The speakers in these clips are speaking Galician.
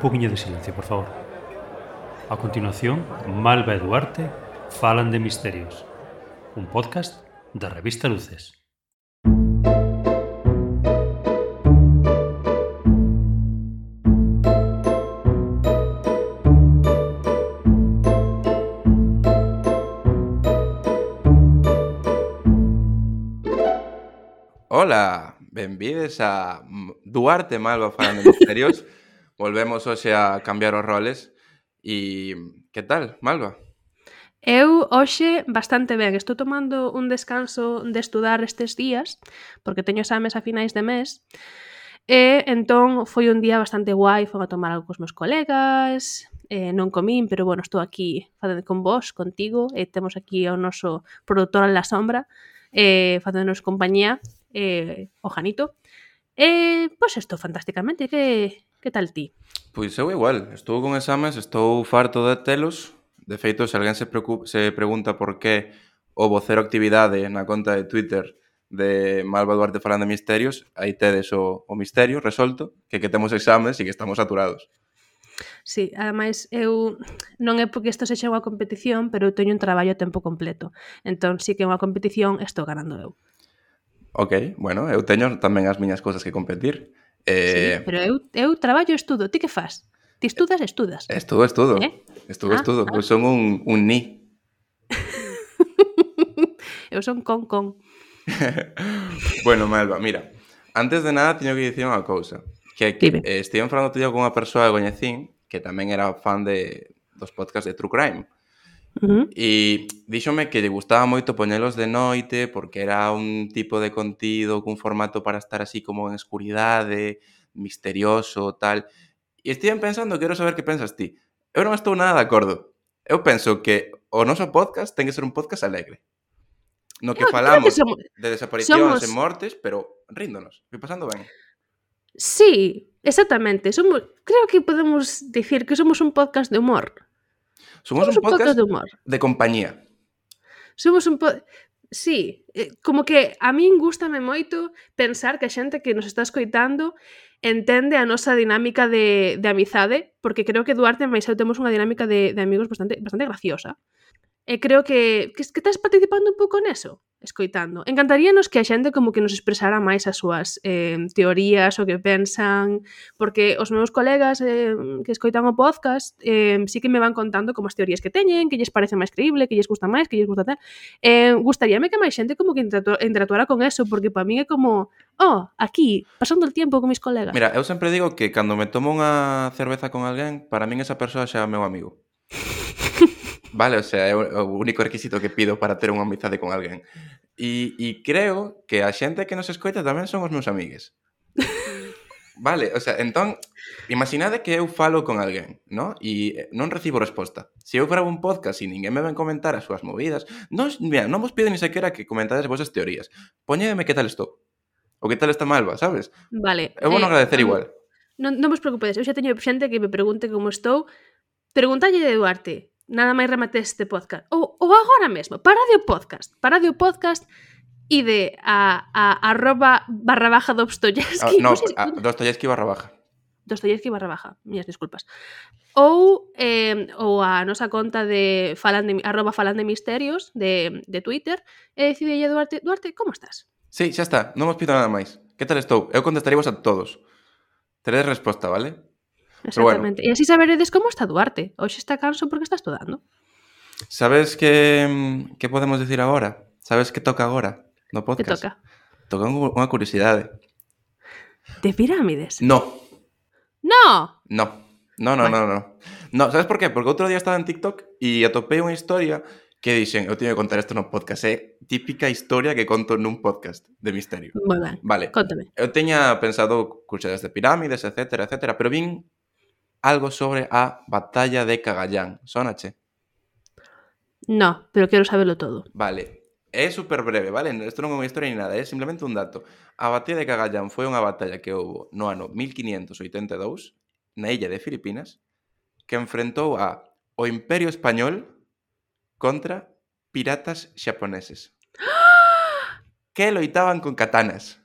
poquinho de silencio, por favor. A continuación, Malva e Duarte falan de misterios. Un podcast da revista Luces. Ola, benvides a Duarte Malva falan de misterios. Volvemos hoxe a cambiar os roles. E que tal, Malva? Eu hoxe bastante ben, estou tomando un descanso de estudar estes días, porque teño exames a finais de mes, e entón foi un día bastante guai, fui a tomar algo cos meus colegas, non comín, pero bueno, estou aquí facendo con vos, contigo, e temos aquí ao noso produtor en la sombra, facéndonos compañía, o Janito. Pois estou fantásticamente, que tal ti? Pois eu igual, estou con exames, estou farto de telos. De feito, se alguén se pregunta por que o vocero actividade na conta de Twitter de Malva Duarte falan de misterios, aí tedes o misterio resolto, que temos exames e que estamos saturados. Sí, ademais eu non é porque isto sexa unha competición, pero eu teño un traballo a tempo completo. Entón, si que é unha competición, estou ganando eu. Ok, bueno, eu teño tamén as miñas cousas que competir. Sí, pero eu traballo e estudo. Ti que fas? Ti estudas? Estudo. Ah. Eu son un ni. Eu son con. Bueno, Malva, mira, antes de nada teño que dicir unha cousa, que Dime. estive falando con unha persoa que coñecín que tamén era fan dos podcasts de True Crime. E díxome que lle gustaba moito poñelos de noite porque era un tipo de contido cun formato para estar así como en escuridade, misterioso, tal. E estive pensando, quero saber que pensas ti. Eu non estou nada de acordo. Eu penso que o noso podcast ten que ser un podcast alegre. No que Eu creo que falamos de desaparicións e somos... mortes, pero ríndonos, e pasando ben. Sí, exactamente. Creo que podemos dicir que somos un podcast de humor. Somos un Un podcast podcast de humor. de compañía. Somos un Sí, como que a min gústame moito pensar que a xente que nos está escoitando entende a nosa dinámica de amizade, porque creo que Duarte e máis eu temos unha dinámica de amigos bastante graciosa. E creo que estás participando un pouco neso, escoitando. Encantaríanos que a xente como que nos expresara máis as súas teorías, o que pensan, porque os meus colegas que escoitan o podcast sí que me van contando como as teorías que teñen, que lles parece máis creíble, que lles gusta máis, que lles gusta tal. Gustaríame que máis xente como que interactuara con eso, porque para min é como, aquí, pasando el tiempo con mis colegas. Mira, eu sempre digo que cando me tomo unha cerveza con alguén, para min esa persoa xa é meu amigo. Vale, o sea, é o único requisito que pido para ter unha amizade con alguén. E creo que a xente que nos escoita tamén son os meus amigues. Vale, o sea, entón, imaginade que eu falo con alguén, ¿no? E non recibo resposta. Se eu gravo un podcast e ninguén me ven comentar as súas movidas, mira, non vos pido ni sequera que comentades vosas teorías. Poñédeme que tal estou. Ou que tal está Malva, sabes? Vale. Eu vou non agradecer igual. Non vos preocupedes, eu xa teño xente que me pregunte como estou. Preguntalle de Duarte, nada máis remate este podcast. Ou agora mesmo, parade o podcast e de @/ Dostoyevsky. No, Dostoyevsky /baja. Dostoyevsky /, miñas disculpas. Ou a nosa conta de @falandemisterios de Twitter e decidelle Duarte, como estás? Sí, xa está, non vos pido nada máis. Que tal estou? Eu contestaríamos a todos. Teredes resposta, vale? Exactamente. Pero bueno. E así saberedes como está Duarte. Hoxe está canso porque está estudando. Sabes que podemos decir agora? Sabes que toca agora no podcast? Que toca? Toca unha curiosidade. De pirámides? No. No. No, sabes por qué? Porque outro día estaba en TikTok e atopei unha historia que dixen, eu teño que contar isto no podcast, é típica historia que conto nun podcast de misterio. Moi ben, Vale. Cóntame. Eu teña pensado curiosidades de pirámides, etcétera, pero vin algo sobre a batalla de Cagallán. Sónache? No, pero quero sabelo todo. Vale. É super breve, vale? Isto non é unha historia ni nada, é simplemente un dato. A batalla de Cagallán foi unha batalla que houbo no ano 1582 na illa de Filipinas que enfrentou o Imperio Español contra piratas xaponeses que loitaban con katanas.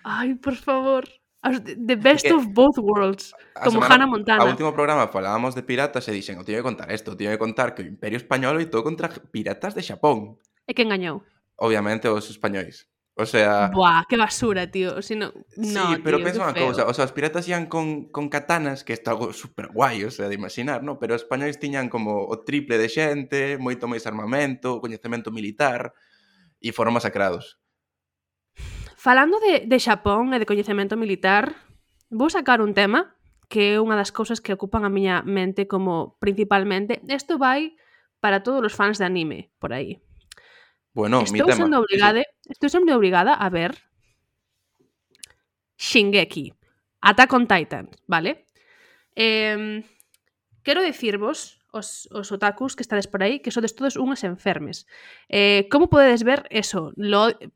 Ai, por favor. The best que of both worlds. Como Hannah Montana. A último programa falábamos de piratas e dixen, teño que contar isto, teño que contar que o Imperio Español loitou contra piratas de Xapón. E quen gañou? Obviamente os españois. O sea... Buah, que basura, tío. Si no, Sí, no, pero tío, pensa que unha feo. cousa, os piratas ian con katanas, que isto é algo super guai, o sea, de imaginar, ¿no? Pero os españois tiñan como o triple de xente, moito máis armamento, coñecemento militar, e foron masacrados. Falando de Xapón e de coñecemento militar, vou sacar un tema que é unha das cousas que ocupan a miña mente como principalmente. Isto vai para todos os fans de anime por aí. Bueno, mi Estou tema. sendo obrigada a ver Shingeki, Attack on Titan, vale? Quero dicirvos, os otakus que estades por aí, que sodes todos unhas enfermes. Como podedes ver eso?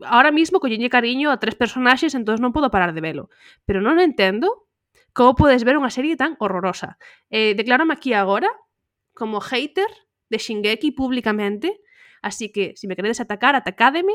Ahora mismo collelle cariño a 3 personaxes, entón non podo parar de velo. Pero non entendo como podes ver unha serie tan horrorosa. Declárame aquí agora como hater de Shingeki públicamente, así que, se me queredes atacar, atacádeme.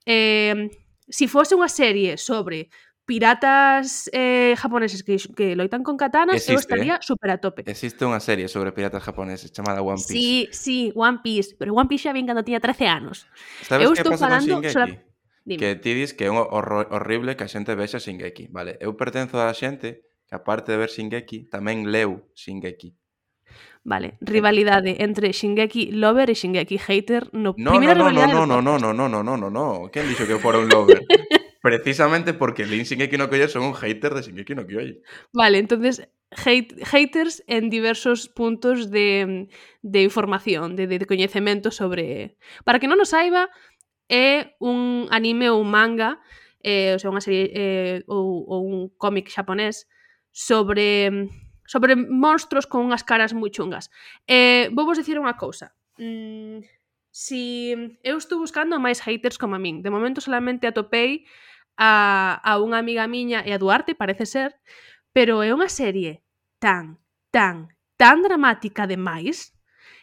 Si fose unha serie sobre piratas japoneses que loitan con katanas, eu estaría super a tope. Existe unha serie sobre piratas japoneses chamada One Piece. Sí, One Piece. Pero One Piece xa vin cando tiña 13 anos. Sabes que pasa con Shingeki? Dime. Que ti dis que é horrible que a xente vexa Shingeki. Vale, eu pertenzo a xente que aparte de ver Shingeki, tamén leu Shingeki. Vale, rivalidade entre Shingeki lover e Shingeki hater. No. Quen dixo que fora un lover? Precisamente porque lín Shingeki no Kyojin son un hater de Shingeki no Kyojin. Vale, entonces haters en diversos puntos de información, de coñecemento sobre... Para que non o saiba, é un anime ou un manga, o sea, unha serie ou un cómic xaponés sobre monstros con unhas caras moi chungas. Vou vos dicir unha cousa. Si eu estou buscando máis haters como a min, de momento solamente atopei a unha amiga miña e a Duarte, parece ser, pero é unha serie tan dramática demais.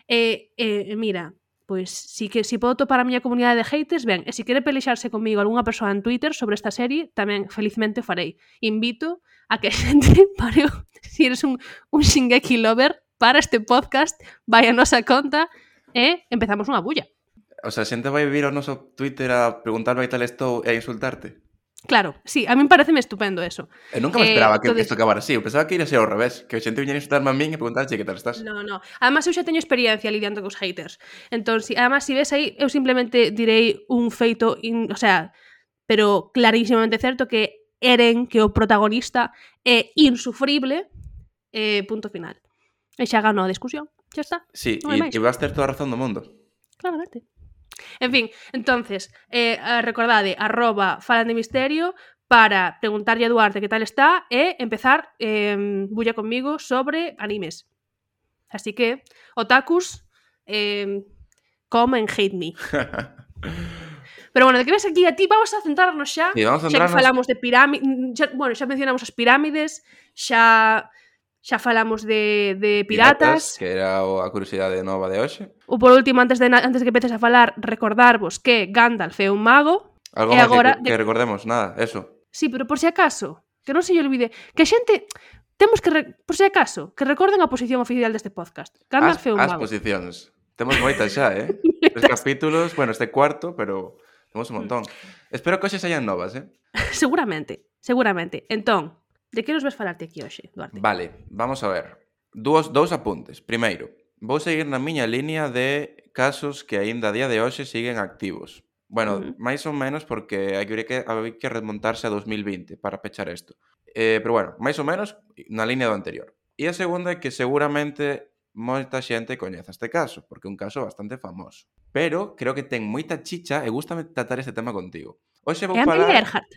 Mira, pois si podo topar a miña comunidade de haters, ben, e se quere pelexarse comigo algunha persoa en Twitter sobre esta serie, tamén felizmente o farei. Invito a que a xente pare, se eres un Shingeki lover, para este podcast, vai a nosa conta e empezamos unha bulla. O sea, a xente vai vir ao noso Twitter a preguntarme que tal estou e a insultarte. Claro, sí, a min pareceme estupendo eso. Eu nunca me esperaba que isto acabara así. Eu pensaba que iria ser ao revés, que a xente viñera a insultarme a min e preguntarche que tal estás. No. Además, eu xa teño experiencia lidiando cos haters. Entón, además, se ves aí, eu simplemente direi un feito, o sea, pero clarísimamente certo que Eren, que o protagonista é insufrible, punto final. E xa ganou a discusión, xa está. Sí, e vas ter toda a razón do mundo. Claramente. En fin, entonces, recordade, @falandemisterio para preguntarlle a Duarte que tal está e empezar bulla conmigo sobre animes. Así que, otakus, come and hate me. Pero bueno, de que ves aquí a ti, vamos a centrarnos xa. Sí, vamos a centrarnos. Xa que falamos de pirámides, xa mencionamos as pirámides, xa falamos de piratas, que era a curiosidade nova de hoxe. Ou por último, antes de que empeces a falar, recordarvos que Gandalf é un mago. Algo máis agora que recordemos, nada, eso. Sí, pero por si acaso, que non se lle olvide, que a xente temos que, por si acaso, que recorden a posición oficial deste podcast. Gandalf é un mago. As posicións. Temos moitas xa, 3 capítulos, bueno, este cuarto, pero temos un montón. Espero que hoxe saian novas, Seguramente. Entón, de que nos vas falarte aquí hoxe, Duarte? Vale, vamos a ver. Dous apuntes. Primeiro, vou seguir na miña línea de casos que aínda a día de hoxe siguen activos. Bueno, máis ou menos porque hai que remontarse a 2020 para pechar isto. Pero bueno, máis ou menos na línea do anterior. E a segunda é que seguramente moita xente coñeza este caso, porque é un caso bastante famoso. Pero creo que ten moita chicha e gústame tratar este tema contigo. Hoxe vou falar... É Earhart?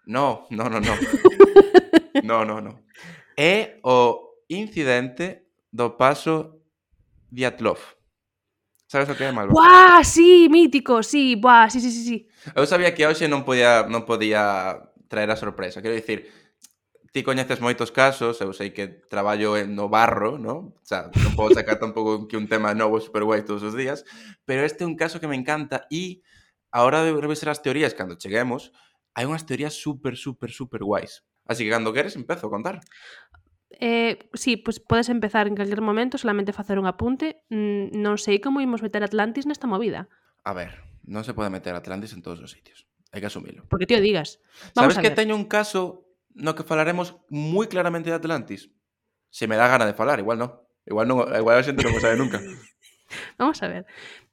No. É o incidente do paso Dyatlov. Sabes o que é, Malva? Buah, sí, mítico, sí, buah, sí. Eu sabía que hoxe non podía traer a sorpresa. Quero dicir, ti coñeces moitos casos, eu sei que traballo no barro, ¿no? O sea, non podo sacar tampouco que un tema novo super guai todos os días, pero este é un caso que me encanta e a hora de revisar as teorías cando cheguemos, hai unhas teorías super guais. Así que cando queres empezo a contar. Sí, pois podes empezar en calquer momento, solamente facer un apunte. Non sei como imos meter Atlantis nesta movida. A ver, non se pode meter Atlantis en todos os sitios. Hai que asumilo. Porque ti o digas. Vamos Sabes a que ver. teño un caso no que falaremos moi claramente de Atlantis? Se me dá gana de falar, igual non. Igual a xente non o sabe nunca. Vamos a ver.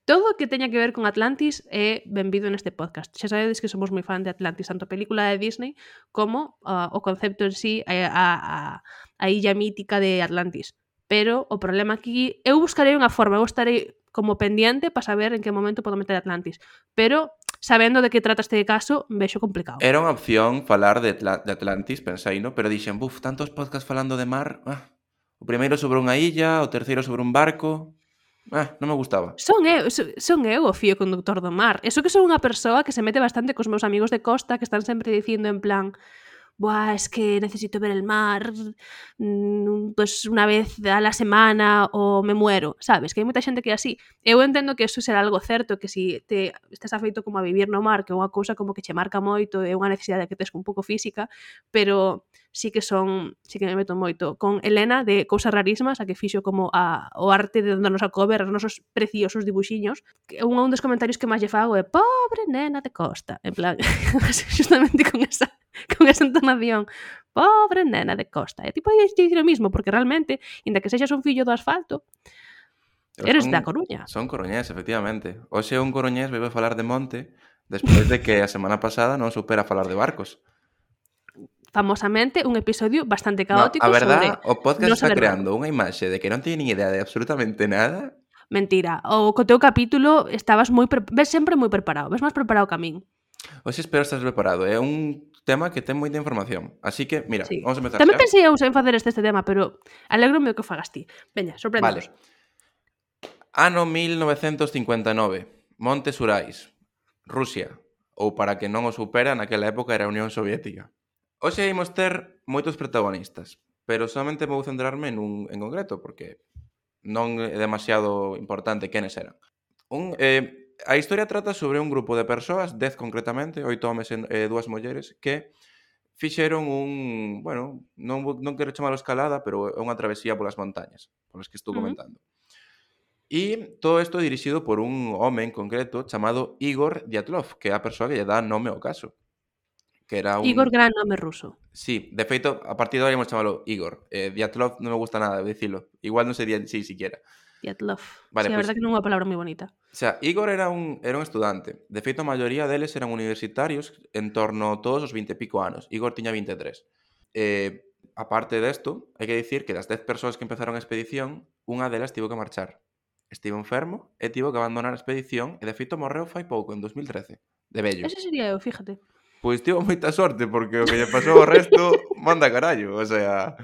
Todo o que teña que ver con Atlantis é benvido neste podcast. Xa sabedes que somos moi fan de Atlantis, tanto a película de Disney como o concepto en sí, a illa mítica de Atlantis. Pero o problema aquí, eu buscarei unha forma, eu estarei como pendiente para saber en que momento podo meter Atlantis. Pero, sabendo de que trata este caso, vexo complicado. Era unha opción falar de Atlantis, pensei, no? Pero dixen, tantos podcasts falando de mar. O primeiro sobre unha illa, o terceiro sobre un barco. Non me gustaba. Son eu o fío conductor do mar. Eso que son unha persoa que se mete bastante cos meus amigos de costa que están sempre dicindo en plan buah, es que necesito ver el mar pues una vez a la semana o me muero, sabes? Que hai moita xente que é así. Eu entendo que eso será algo certo, que si te estás afeito como a vivir no mar, que é unha cousa como que che marca moito, é unha necesidade que tes un pouco física, pero sí que me meto moito con Elena de Cousas Rarísimas, a que fixo como o arte de darnos a cover os nosos preciosos dibuxiños. Un dos comentarios que máis lle fago é pobre nena de Costa, en plan, justamente con esa entonación, pobre nena de Costa. E tipo, podías dicir o mismo, porque realmente, inda que sexas un fillo do asfalto, eres da Coruña. Son coruñés, efectivamente. Hoxe un coruñés veio a falar de monte despois de que a semana pasada non supera falar de barcos. Famosamente, un episodio bastante caótico a verdade, sobre o podcast non está saber creando barco. unha imaxe de que non teñe nin idea de absolutamente nada. Mentira. O co teu capítulo estabas ves sempre moi preparado. Ves máis preparado que a min. Hoxe espero estar preparado. É un tema que ten moita información. Así que, mira, Sí. vamos a empezar Tamén xa. pensei eu en facer este tema, pero alégrome o que fagas ti. Veña, sorpréndenos. Vale. Ano 1959. Montes Urais, Rusia. Ou para que non o supera, naquela época era a Unión Soviética. Hoxe imos ter moitos protagonistas, pero solamente vou centrarme en concreto, porque non é demasiado importante quenes eran. A historia trata sobre un grupo de persoas, 10 concretamente, 8 homes e 2 mulleres, que fixeron non quero chamalo escalada, pero é unha travesía polas montañas, polas que estou comentando. E todo isto dirixido por un home en concreto chamado Igor Dyatlov, que é a persoa que lle dá nome ao caso. Que era Igor, gran nome ruso. Sí, de feito, a partir de agora íamos chamalo Igor. Dyatlov non me gusta nada dicilo. Igual non sería así siquiera. Dyatlov. Vale, Sí, a verdade que non é unha palabra moi bonita. O sea, Igor era un estudante. De feito, a maioría deles eran universitarios en torno a todos os 20 e pico anos. Igor tiña 23. Aparte desto, hai que dicir que das 10 persoas que empezaron a expedición, unha delas tivo que marchar. Estivo enfermo e tivo que abandonar a expedición e de feito morreu fai pouco, en 2013, de vello. Ese sería eu, fíjate. Pois tivo moita sorte, porque o que lle pasou ao resto manda carallo, o sea...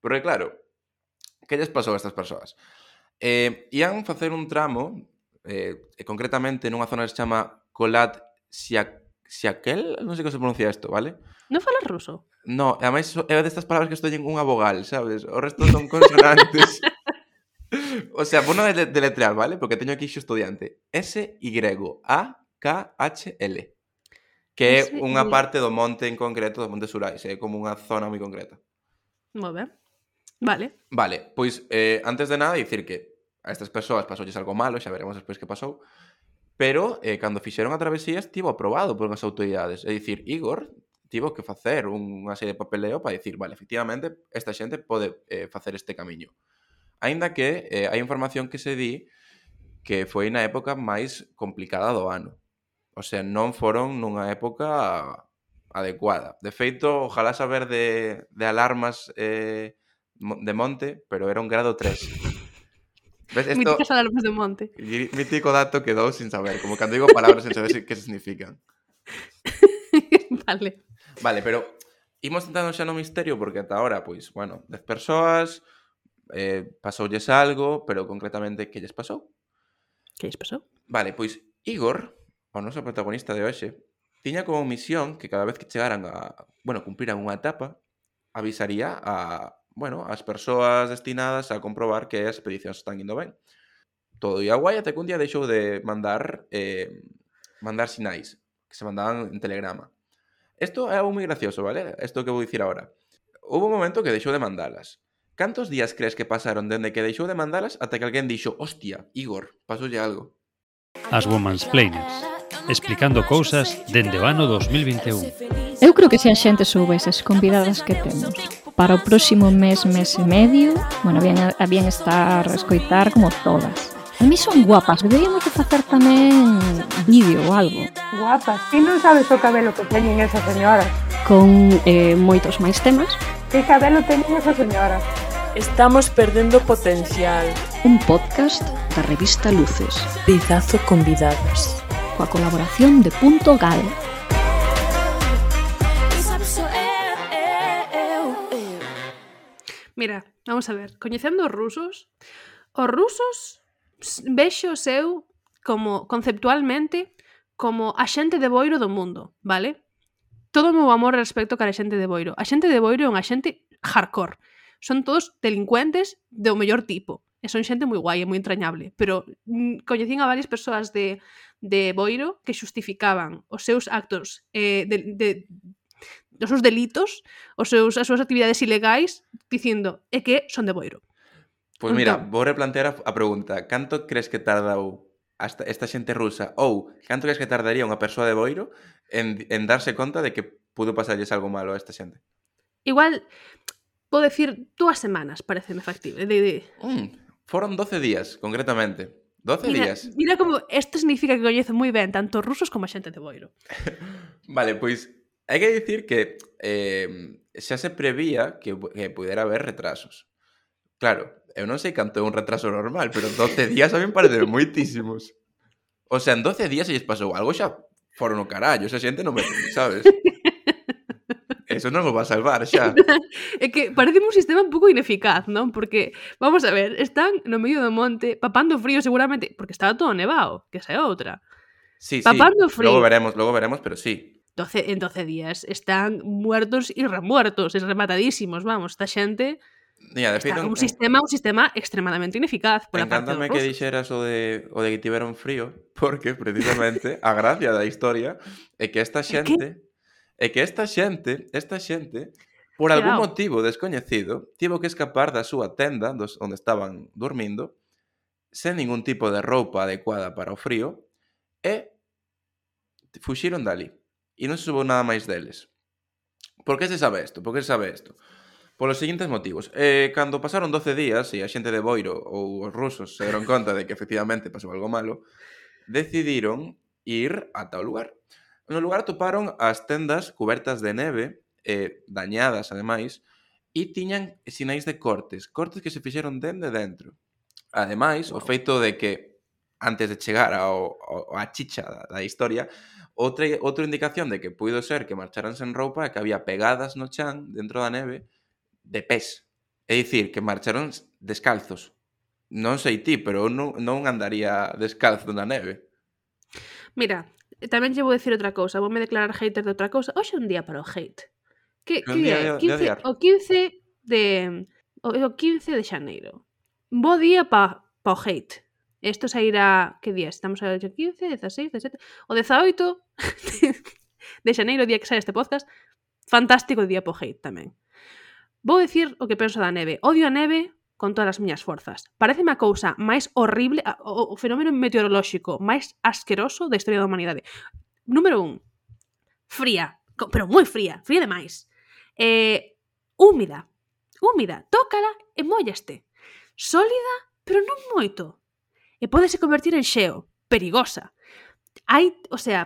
Pero claro, que lles pasou a estas persoas? Ian facer un tramo, concretamente nunha zona que se chama Kolat Siakel, non sei como se pronuncia isto, vale? Non falas ruso? No, ademais é destas palabras que estoy en unha vogal, sabes? O resto son consonantes. O sea, vou non deletrear, vale? Porque teño aquí xo estudiante. S-Y-A-K-H-L. Que é unha parte do monte en concreto, do Monte Urais, é como unha zona moi concreta. Moi ben. Vale. Vale, pois antes de nada dicir que a estas persoas pasoulles algo malo, xa veremos despois que pasou, pero cando fixeron a travesía estivo aprobado por unhas autoridades. É dicir, Igor tivo que facer unha serie de papeleo para dicir, vale, efectivamente, esta xente pode facer este camiño. Aínda que hai información que se di que foi na época máis complicada do ano. O sea, non foron nunha época adecuada. De feito, ojalá saber de alarmas de monte, pero era un grado 3. ¿Ves esto? Míticas alarmas de monte. Mítico dato que dou sin saber, como cando digo palabras sin saber que significan. Vale. Vale, pero imos entrando xa no misterio, porque ata ahora, pois, bueno, 10 persoas, pasoulles algo, pero concretamente, que lles pasou? Que lles pasou? Vale, pois Igor, o noso protagonista de hoxe, tiña como misión que cada vez que chegaran cumpriran unha etapa, avisaría as persoas destinadas a comprobar que as expedicións están indo ben. Todo ia guai até que un día deixou de mandar sinais, que se mandaban en telegrama. Isto é algo moi gracioso, vale? Isto que vou dicir agora. Houve un momento que deixou de mandalas. Cantos días crees que pasaron dende que deixou de mandalas ata que alguén dixo hostia, Igor, pasoulle algo? As Womansplainers, explicando cousas dende o ano 2021. Eu creo que se a xente soubese as convidadas que temos para o próximo mes e medio, bueno, habían estar a escoitar como todas. A mí son guapas, deberíamos de facer tamén vídeo ou algo. Guapas, ti non sabes o cabelo que teñen esas señoras. Con moitos máis temas. Que cabelo teñen esas señoras. Estamos perdendo potencial. Un podcast da revista Luces. Pizazo convidadas. Coa colaboración de Punto Gal. Mira, vamos a ver, coñecendo os rusos vexo eu como conceptualmente como a xente de Boiro do mundo, vale? Todo o meu amor respecto cara a xente de Boiro. A xente de Boiro é unha xente hardcore. Son todos delincuentes do mellor tipo. E son xente moi guai e moi entrañable. Pero coñecín a varias persoas de Boiro que xustificaban os seus actos os seus delitos, as súas actividades ilegais, dicindo é que son de Boiro. Pois mira, vou replantear a pregunta. Canto crees que tardou esta xente rusa ou canto crees que tardaría unha persoa de Boiro en darse conta de que pudo pasarlles algo malo a esta xente? Igual, vou decir 2 semanas, pareceme factible. Foron 12 días, concretamente. 12 días. Mira como isto significa que coñezo moi ben tanto os rusos como a xente de Boiro. Vale, pois hai que dicir que xa se prevía que pudera haber retrasos. Claro, eu non sei canto é un retraso normal, pero 12 días a mí me parecen moitísimos. O sea, en 12 días se lles pasou algo xa foron o carallo, esa xente non me... sabes? Eso non o va a salvar xa. É que parece un sistema un pouco ineficaz, non? Porque, vamos a ver, están no medio do monte, papando frío seguramente, porque estaba todo nevado, que esa é outra. Sí, Papando frío. Luego veremos, pero sí. En 12 días están muertos e remuertos, rematadísimos, vamos, esta xente... Mira, de feito, un sistema extremadamente ineficaz pola parte dos encántame rusos. que dixeras o de que tiveron frío, porque precisamente a gracia da historia é que esta xente por algún motivo descoñecido tivo que escapar da súa tenda onde estaban dormindo sen ningún tipo de roupa adecuada para o frío e fuxiron dali e non se soubo nada máis deles. Por que se sabe isto? Polos seguintes motivos. Cando pasaron 12 días e a xente de Boiro ou os rusos se deron conta de que efectivamente pasou algo malo, decidiron ir ata o lugar. No lugar atoparon as tendas cubertas de neve, dañadas ademais, e tiñan sinais de cortes que se fixeron dende dentro. Ademais, o feito de que antes de chegar a chicha da historia, outra indicación de que puido ser que marcharan sen roupa é que había pegadas no chan dentro da neve de pés. É dicir, que marcharon descalzos. Non sei ti, pero eu non andaría descalzo na neve. Mira, tamén lle vou decir outra cousa, voume declarar hater de outra cousa. Hoxe é un día para o hate. Que é? O 15 de xaneiro. Bo día pa o hate. Isto sairá, que día? Estamos a 15, 16, 17... O 18 de xaneiro, o día que sai este podcast. Fantástico día pa o hate tamén. Vou dicir o que penso da neve. Odio a neve con todas as miñas forzas. Pareceme a cousa máis horrible, o fenómeno meteorolóxico máis asqueroso da historia da humanidade. Número 1. Fría, pero moi fría demais. Húmida. Tócala e móllaste. Sólida, pero non moito. E pódese convertir en xeo. Perigosa.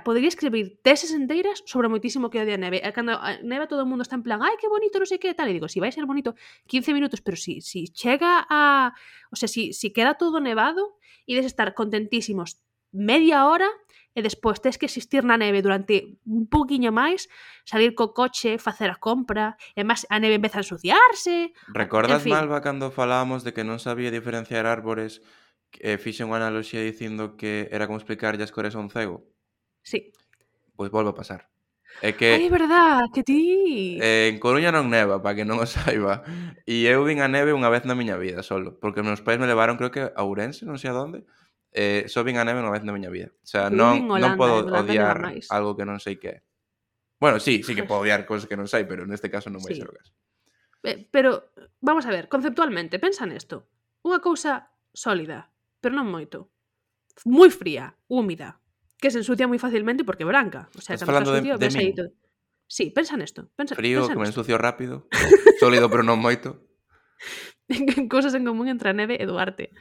Podería escribir teses enteiras sobre moitísimo que odia a neve. E cando a neve todo o mundo está en plan ai, que bonito, non sei que, tal. E digo, si vai ser bonito 15 minutos, pero si chega a... si queda todo nevado, ides estar contentísimos media hora e despois tes que existir na neve durante un poquinho máis, salir co coche, facer a compra, e máis a neve empeza a ensuciarse... Recordas, Malva, cando falábamos de que non sabía diferenciar árbores... fixe unha analoxía dicindo que era como explicarlle as cores a un cego. Sí. Pois volve a pasar. É que... Ai, é verdad, que ti... En Coruña non neva, para que non o saiba. E eu vin a neve unha vez na miña vida, solo. Porque meus pais me levaron, creo que a Ourense, non sei a donde. Só vin a neve unha vez na miña vida. O sea, non podo odiar algo que non sei que é. Bueno, sí que podo odiar cosas que non sei, pero neste caso non vai Sí. ser o caso. Pero, vamos a ver, conceptualmente, pensa nesto. Unha cousa sólida, pero non moito. Moi fría, húmida, que se ensucia moi facilmente porque é branca. O sea, Estás cando está falando de sucio, ves aí min? todo. Sí, pensa nesto. Frío, Pensa que me nesto. ensucio rápido, sólido pero non moito. Cousas en común entre a neve e Duarte.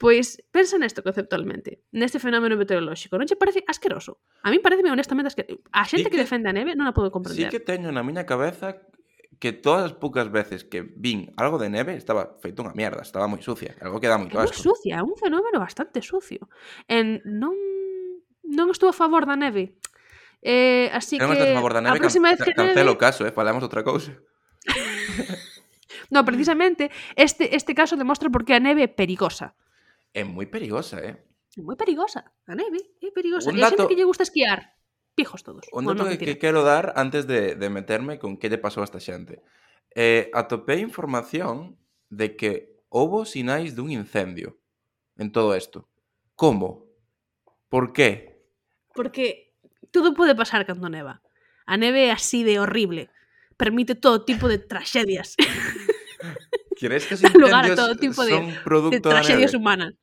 Pois, pensa nesto conceptualmente, neste fenómeno meteorolóxico. Non che parece asqueroso? A mí pareceme honestamente asqueroso. A xente que defende a neve non a podo Sí comprender. que teño na miña cabeza que todas as poucas veces que vin algo de neve estaba feito unha mierda, estaba moi sucia, algo que dá moito É moi asco. sucia, é un fenómeno bastante sucio. Non estou a favor da neve. Así Se non estás a que favor da a neve, próxima vez que cancelo o neve... caso, falamos outra cousa. No, precisamente, este caso demostra por que a neve é perigosa. É moi perigosa, É moi perigosa. A neve é perigosa. Un E a xente dato- que lle gusta esquiar, pijos todos. Un Bueno, dato non, que mentira. quero dar antes de meterme con que lle pasou a esta xente. Atopei información de que houbo sinais dun incendio en todo isto. Como? Por qué? Porque todo pode pasar cando neva. A neve é así de horrible. Permite todo tipo de tragedias. Crees que os Dá lugar a incendios todo tipo son de producto da tragedias neve? humanas.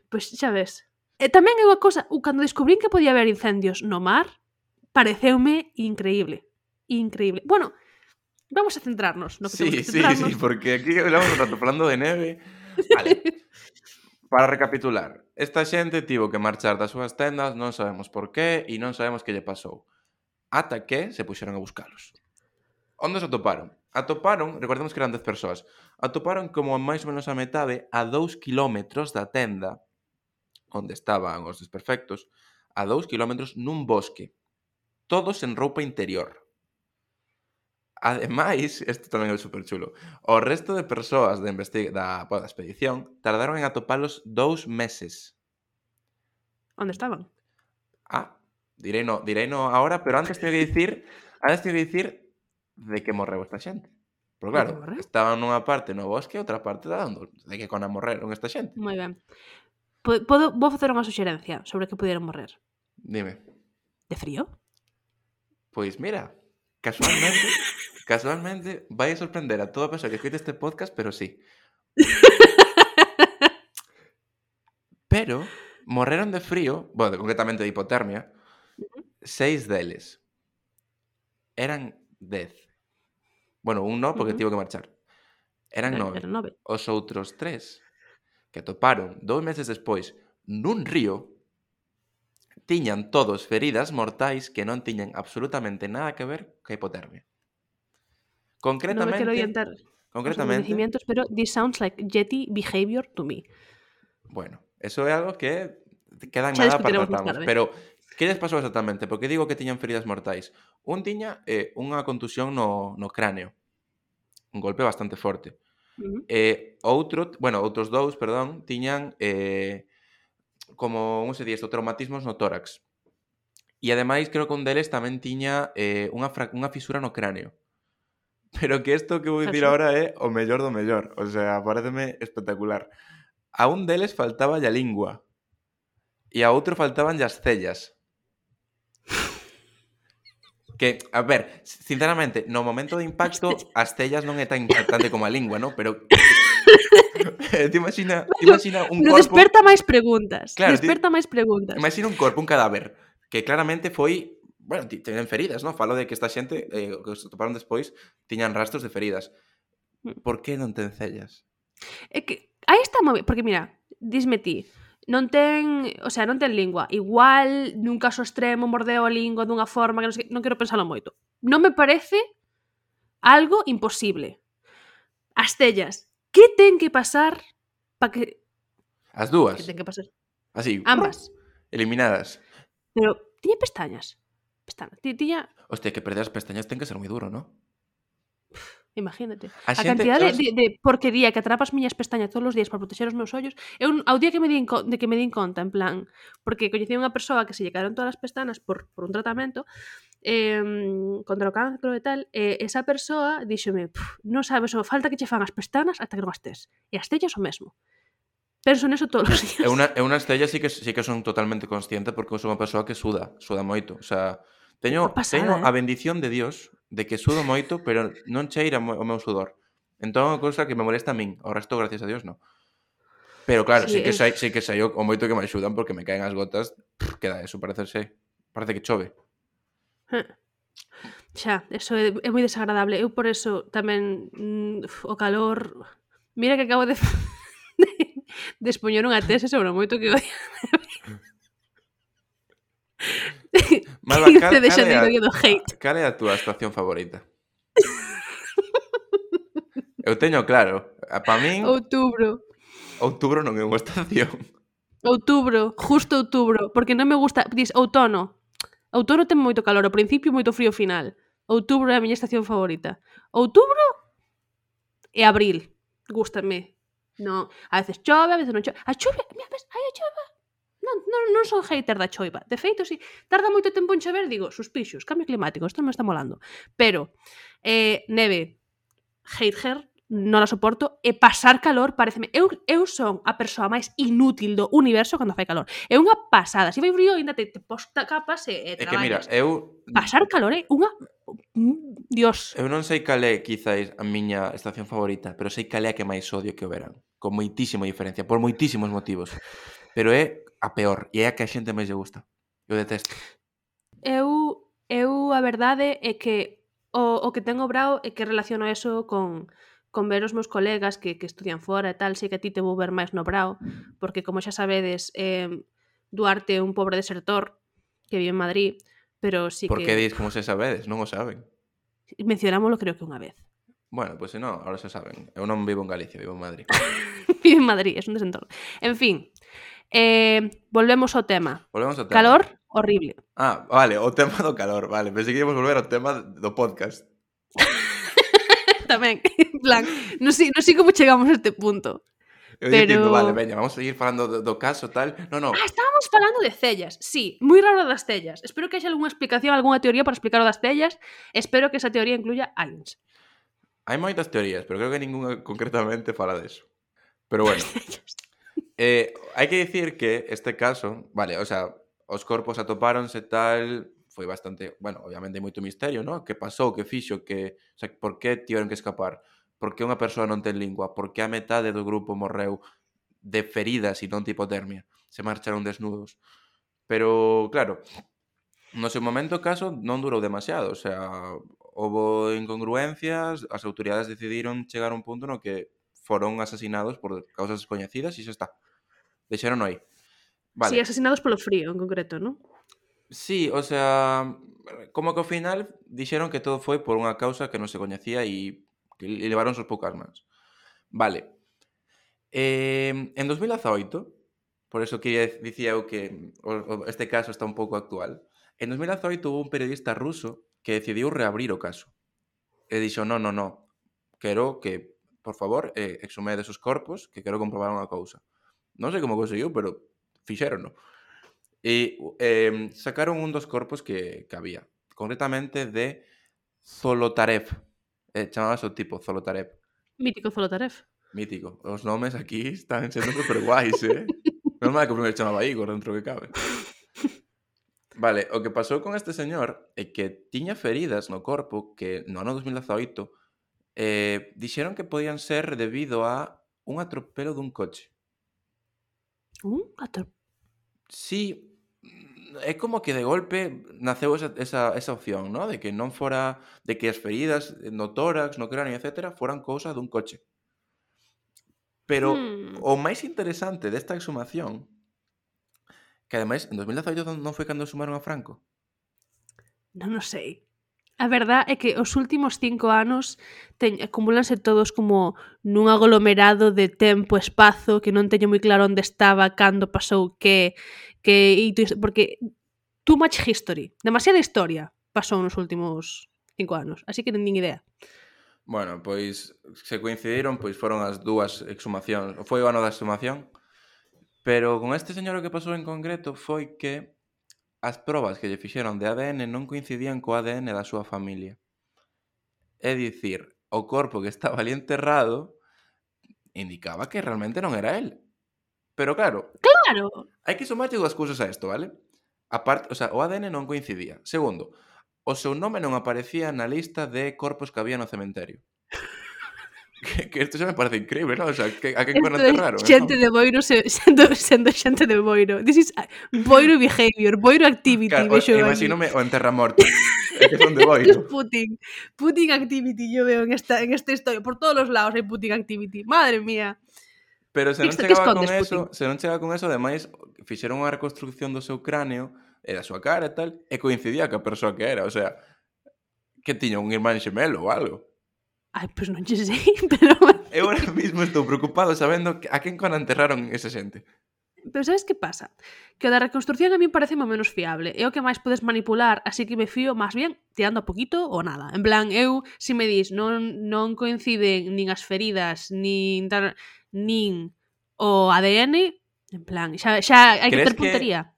Pois xa ves. E tamén é unha cosa, cando descubrín que podía haber incendios no mar, pareceume increíble. Increíble. Bueno, vamos a centrarnos no que temos que centrarnos. Sí, porque aquí hablamos un rato falando de neve. Vale. Para recapitular, esta xente tivo que marchar das súas tendas, non sabemos por qué e non sabemos que lle pasou. Ata que se puxeron a buscalos. Onde se atoparon? Atoparon, recordemos que eran 10 persoas, atoparon como máis ou menos a metade a 2 kilómetros da tenda onde estaban os desperfectos, a 2 kilómetros nun bosque, todos en roupa interior. Ademais, isto tamén é super chulo, o resto de persoas da expedición tardaron en atopalos 2 meses. Onde estaban? Direino ahora, pero antes teño que dicir de que morreu esta xente. Pero De que claro, morreu? estaban nunha parte no bosque e outra parte dando de que cona morreron esta xente. Moi ben. Vou facer unha suxerencia sobre que pudieron morrer. Dime. De frío? Pois mira, casualmente vai a sorprender a toda persoa que escoite este podcast, pero sí. Pero morreron de frío, bueno, concretamente de hipotermia, 6 deles. Eran 10. Bueno, un no, porque tivo que marchar. Eran 9. Eran 9. Os outros 3, que atoparon 2 meses despois nun río, tiñan todos feridas mortais que non tiñan absolutamente nada que ver ca hipotermia. Non me quero adiantar os Concretamente, acontecimientos, pero this sounds like Yeti behavior to me. bueno, eso é algo que queda en Xa nada para discutiremos máis tratarmos. tarde. Pero, que lles pasou exactamente? Porque digo que tiñan feridas mortais. Un tiña unha contusión no cráneo. Un golpe bastante forte. Outros dous, tiñan como, se di isto, traumatismos no tórax. E ademais, creo que un deles tamén tiña unha fisura no cráneo. Pero que isto que vou dicir agora é o mellor do mellor. O sea, pareceme espectacular. A un deles faltaba a lingua. E a outro faltaban as cellas. Que, a ver, sinceramente, no momento de impacto, as cellas non é tan impactante como a lingua, ¿no? Pero te imagina un corpo... Desperta máis preguntas. Claro, máis preguntas. Imagina un corpo, un cadáver, que claramente foi... Bueno, teñen feridas, ¿no? Falo de que esta xente, que se toparon despois, tiñan rastros de feridas. Por que non ten cellas? É que aí está moi ben, porque mira, disme ti, non ten lingua. Igual, nun caso extremo, mordeu a lingua dunha forma que non quero pensalo moito. Non me parece algo imposible. As cellas, que ten que pasar para que... As dúas. Que ten que pasar? Así. Ambas. Eliminadas. Pero, tiña pestañas? Tiña... Hostia, que perder as pestañas ten que ser moi duro, ¿no? Imagínate. A cantidad de porquería que atrapa as miñas pestañas todos os días para proteger os meus ollos. Ao día que me din conta, en plan, porque coñecí unha persoa que se lle caeron todas as pestanas por un tratamento contra o cancro e tal, esa persoa díxome, non sabes, falta que che fan as pestanas ata que non as tes. E as cellas o mesmo. Penso neso todos os días. Eu nas cellas sí que son totalmente consciente porque sou unha persoa que suda moito. O sea, Teño pasada, a bendición de Dios de que sudo moito, pero non cheira o meu sudor. Entón é unha cousa que me molesta a min. O resto, gracias a Dios, non. Pero claro, Sí, sí que sei o moito que me axudan porque me caen as gotas, queda eso, parece que chove. xa, eso é moi desagradable. Eu por eso tamén o calor... Mira que acabo de expoñer unha tese sobre o moito que odio. Malva, 15 de xaneiro, día do hate. cal é a túa estación favorita? Eu teño claro, para min, Outubro. outubro non é unha estación. Outubro, justo outubro, porque non me gusta, dis outono. Outono ten moito calor, ao principio e moito frío ao final. Outubro é a miña estación favorita. Outubro e abril, gústame. No, a veces chove, a veces non chove. A chove, mira, ves, hai a chove. Non son hater da choiva. De feito, si tarda moito tempo en chover, digo, suspixos, cambio climático, isto non me está molando. Pero neve, hater, non a soporto, e pasar calor pareceme... Eu son a persoa máis inútil do universo cando fai calor. É unha pasada. Se fai frío, ainda te posta capas e É que mira, traballas. eu Pasar calor é unha... Dios. eu non sei cal é quizáis a miña estación favorita, pero sei cal é a que máis odio que o verán. Con moitísima diferencia, por moitísimos motivos. Pero é a peor, e é a que a xente máis lle gusta. Eu detesto. Eu a verdade é que o que tengo brao é que relaciono eso con ver os meus colegas que estudian fora e tal, sei que a ti te vou ver máis no brao, porque como xa sabedes, Duarte é un pobre desertor que vive en Madrid, pero sí Por que que... dis como se sabedes? Non o saben. Mencionámoslo creo que unha vez. Bueno, pois se non, ahora se saben. Eu non vivo en Galicia, vivo en Madrid. Vive en Madrid, é un desentorno. En fin, volvemos ao tema. Volvemos ao tema. Calor, horrible. Ah, vale, o tema do calor, vale. Pensei que íamos volver ao tema do podcast. Tamén, en plan, non sei como chegamos a este punto. Eu Pero- dicindo, vale, veña, vamos a seguir falando do caso, tal. No. Estábamos falando de cellas, sí, moi raro das cellas. Espero que haxa algunha explicación, algunha teoría para explicar o das cellas. Espero que esa teoría incluya aliens. Hai moitas teorías, pero creo que ninguna concretamente fala deso. Pero bueno, hai que dicir que este caso, vale, o sea, os corpos atopáronse tal, foi bastante, bueno, obviamente hai moito misterio, ¿no? Que pasou, que fixo, que, o sea, por que tiveron que escapar? Por que unha persoa non ten lingua? Por que a metade do grupo morreu de feridas e non de hipotermia? Se marcharon desnudos. Pero, claro, no seu momento o caso non durou demasiado, o sea, houbo incongruencias, as autoridades decidiron chegar a un punto no que foron asasinados por causas descoñecidas e xa está. Deixaron aí. Vale. Sí, asesinados polo frío, en concreto, non? Sí, o sea, como que ao final dixeron que todo foi por unha causa que non se coñecía e levaron sus poucas mans. Vale. En 2018, por eso que dicía eu que este caso está un pouco actual, en 2018 hubo un periodista ruso que decidiu reabrir o caso. E dixo, no, quero que, por favor, exhumedes os corpos, que quero comprobar unha cousa. Non sei como conseguiu, pero fixérono. E sacaron un dos corpos que había, concretamente de Zolotarev. Chamábase o tipo Zolotarev. Mítico Zolotarev. Mítico. Os nomes aquí están sendo super guais, Normal que o primeiro chamaba Igor dentro que cabe. Vale, o que pasou con este señor é que tiña feridas no corpo que no ano 2018 dixeron que podían ser debido a un atropelo dun coche. Sí, é como que de golpe naceu esa opción, ¿no? De que non fora, de que as feridas no tórax, no cráneo, etc., foran cousa dun coche. Pero o máis interesante desta exhumación, que ademais en 2018 non foi cando exhumaron a Franco. Non o sei. A verdad é que os últimos 5 anos acumúlanse todos como nun aglomerado de tempo, espazo, que non teño moi claro onde estaba, cando pasou, porque too much history, demasiada historia pasou nos últimos 5 anos, así que non nin idea. Bueno, pois se coincidiron, pois foron as dúas exhumacións, foi o ano da exhumación, pero con este señor o que pasou en concreto foi que as probas que lle fixeron de ADN non coincidían co ADN da súa familia. É dicir, o corpo que estaba ali enterrado indicaba que realmente non era él. Pero claro, ¡Claro! hai que sumarlle dúas cousas a isto, vale? Aparte, o sea, o ADN non coincidía. Segundo, o seu nome non aparecía na lista de corpos que había no cementerio. Que isto xa me parece increíble, non? O sea, a quen Isto cono é enterraron, xente entón? de Boiro sendo xente de Boiro. This is Boiro behavior, Boiro activity, Claro, vexo aquí. imagínome o enterramortos. É que son de Esto es Boiro. Putin activity, yo veo en esta historia. Por todos los lados hai Putin activity. Madre mía. Pero se non Que chegaba con escondes, Putin? eso, ademais, fixeron unha reconstrucción do seu cráneo e da súa cara e tal, e coincidía ca persoa que era, o sea, que tiña un irmán xemelo ou algo. Ai, pois non che sei, pero... Eu ahora mismo estou preocupado sabendo a quen cono enterraron esa xente. Pero sabes que pasa? Que o da reconstrucción a mí parece o menos fiable. É o que máis podes manipular, así que me fío máis bien tirando a poquito ou nada. En plan, eu, se me dis, non coinciden nin as feridas, nin o ADN, en plan, xa hai que Crees ter puntería.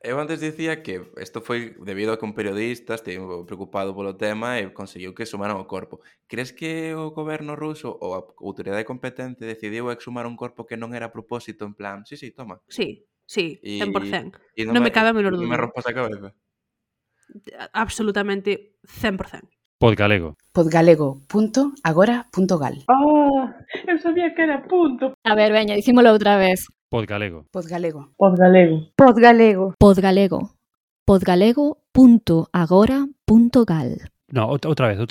Eu antes dicía que isto foi debido a que un periodista estivo preocupado polo tema e conseguiu que exhumaran o corpo. Crees que o goberno ruso ou a autoridade competente decidiu exhumar un corpo que non era a propósito, en plan, sí, toma. Sí, 100%. E Non me cabe a menor non me dúbida. rompas a cabeza. Absolutamente 100%. Podgalego. Podgalego.agora.gal. Eu sabía que era punto. A ver, veña, dicímolo outra vez. Podgalego. Podgalego. Podgalego. Podgalego. Podgalego.agora.gal. No, outra vez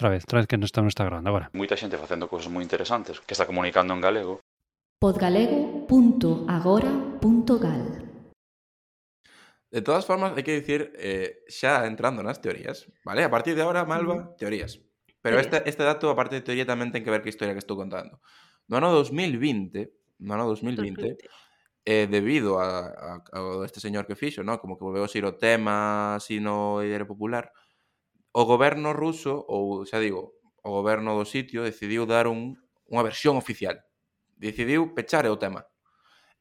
que non está grabando agora. Moita xente facendo cousas moi interesantes que está comunicando en galego. Podgalego.agora.gal. De todas formas, hai que dicir, xa entrando nas teorías, vale? A partir de agora, Malva, teorías. Pero este dato, aparte de teoría, tamén ten que ver que historia que estou contando. No ano 2020, debido a este señor que fixo, ¿no? Como que volveu a ser o tema así no ideario popular, o goberno ruso, ou xa digo, o goberno do sitio, decidiu dar unha versión oficial. Decidiu pechar o tema.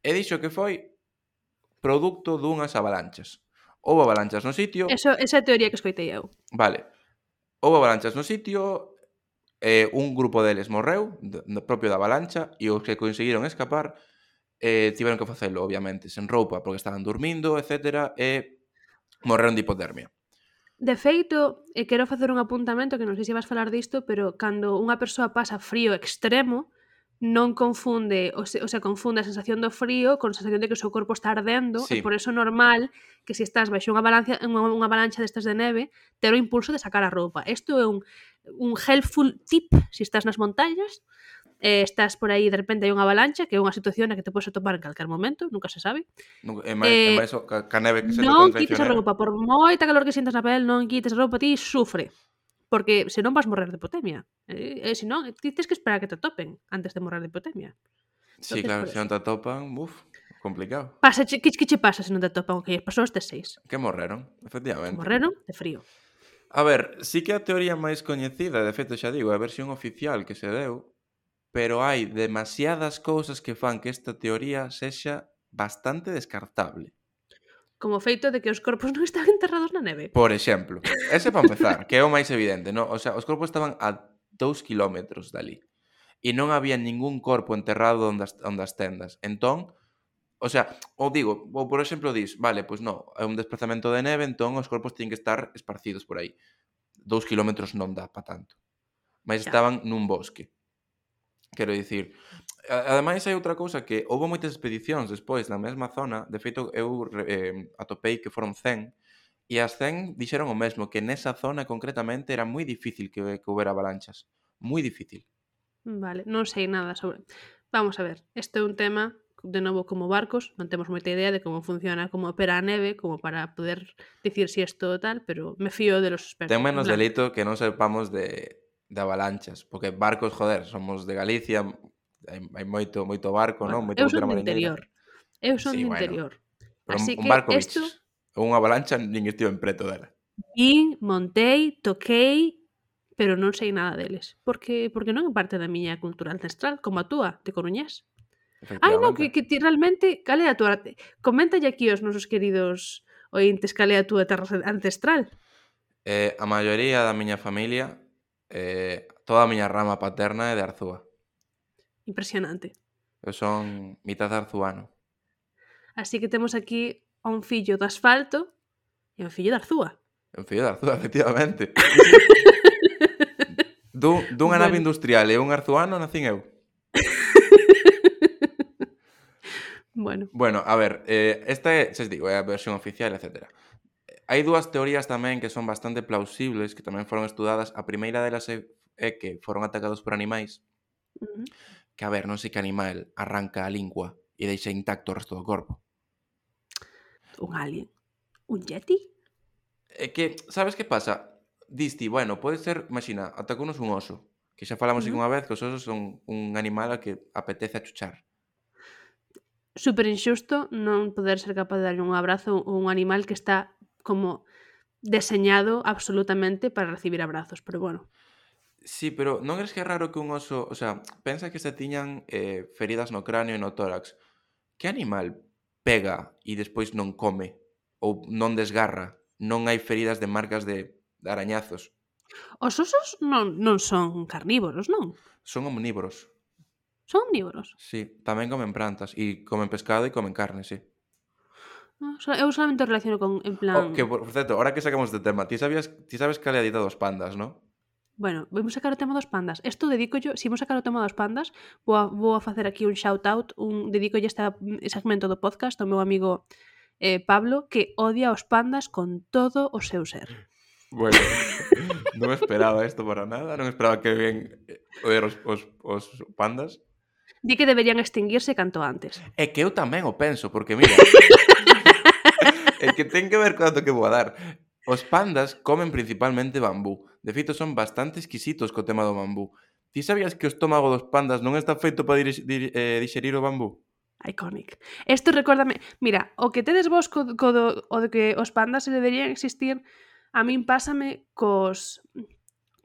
E dixo que foi produto dunhas avalanchas. Houve avalanchas no sitio... Esa é a teoría que escoitei eu. Vale. Houve avalanchas no sitio, un grupo deles morreu, propio da avalancha, e os que conseguiron escapar tiveron que facelo, obviamente, sen roupa, porque estaban dormindo, etc. E morreron de hipotermia. De feito, quero facer un apuntamento que non sei se vas falar disto, pero cando unha persoa pasa frío extremo, non confunde, o sea, confunde a sensación do frío con a sensación de que o seu corpo está ardendo, Sí. e por eso é normal que se estás baixo unha avalancha destas de neve, ter o impulso de sacar a roupa. Isto é un helpful tip se estás nas montañas, estás por aí, de repente hai unha avalancha, que é unha situación na que te podes atopar en calquer momento, nunca se sabe. E máis ca neve que se Non toca quites a roupa, por moita calor que sintas na pel, non quites a roupa, ti sufre. Porque senón vas morrer de hipotemia. Senón, ti tens que esperar que te topen antes de morrer de hipotemia. Sí, claro, se non te atopan, complicado. Que che pasa se non te topan? Ok, as persoas tes 6. Que morreron, efectivamente. Morreron de frío. A ver, sí que a teoría máis coñecida, de feito xa digo, é a versión oficial que se deu, pero hai demasiadas cousas que fan que esta teoría sexa bastante descartable. Como o feito de que os corpos non estaban enterrados na neve. Por exemplo, ese para empezar, que é o máis evidente, ¿no? O sea, os corpos estaban a 2 kilómetros dali e non había ningún corpo enterrado onde as tendas. Entón, o sea, ou por exemplo dis, vale, pois non, é un desplazamento de neve, entón os corpos teñen que estar esparcidos por aí. 2 kilómetros non dá pa tanto. Mas estaban nun bosque. Quero dicir, ademais hai outra cousa que houve moitas expedicións despois na mesma zona, de feito eu atopei que foron 100, e as 100 dixeron o mesmo, que nesa zona concretamente era moi difícil que houbera avalanchas. Moi difícil. Vale, non sei nada sobre... Vamos a ver, este é un tema, de novo, como barcos, non temos moita idea de como funciona, como opera a neve, como para poder dicir si isto tal, pero me fío de los expertos. Ten menos delito que non sepamos de avalanchas, porque barcos, joder, somos de Galicia, hai moito barco, non? Moito Eu son do interior. Eu son do interior. Pero así un que barco isto... unha avalancha nin estivo en preto dela. Montei, toquei, pero non sei nada deles. Porque non é parte da miña cultura ancestral, como a túa, de coruñés. Ai, non, que ti realmente, cal é a túa... Coméntalle aquí aos nosos queridos ointes cal é a túa terra ancestral. A maioría da miña familia, toda a miña rama paterna é de Arzúa. Impresionante. Eu son mitad arzuano. Así que temos aquí a un fillo do asfalto É un fillo de Arzúa. É un fillo de Arzúa, efectivamente. Dunha nave industrial e un arzuano nacín eu. Bueno, A ver, esta é, xa digo, é a versión oficial, etc. Hai dúas teorías tamén que son bastante plausibles, que tamén foron estudadas. A primeira delas é que foron atacados por animais. Que, a ver, non sei que animal arranca a lingua e deixa intacto o resto do corpo. Un alien. Un yeti? É que, sabes que pasa? Disti, bueno, pode ser, imagina, atacounos un oso, que xa falamos unha vez que os osos son un animal a que apetece achuchar. Super injusto non poder ser capaz de darlle un abrazo a un animal que está como deseñado absolutamente para recibir abrazos, pero bueno. Sí, pero non crees que é raro que un oso, o sea, pensa que se tiñan feridas no cráneo e no tórax. Que animal pega e despois non come ou non desgarra? Non hai feridas de marcas de arañazos. Os osos non son carnívoros, non? Son omnívoros. Son omnívoros. Sí, tamén comen plantas e comen pescado e comen carne, sí. Eu solamente relaciono con, en plan... Que, por certo, ahora que sacamos de tema, ti sabes cal é a dieta dos pandas, non? Bueno, vamos sacar o tema dos pandas. Isto dedico-yo, se vamos sacar o tema dos pandas, vou a facer aquí un shout-out, dedico-lle este segmento do podcast ao meu amigo Pablo, que odia os pandas con todo o seu ser. Bueno, non esperaba isto para nada, non esperaba que ven oír os pandas. Di que deberían extinguirse canto antes. É que eu tamén o penso, porque mira, é que ten que ver co dato que vou a dar. Os pandas comen principalmente bambú. De feito, son bastante exquisitos co tema do bambú. Ti sabías que o estómago dos pandas non está feito para digerir o bambú? Iconic. Isto recórdame... Mira, o que tedes vos o de que os pandas se deberían existir, a min pásame cos...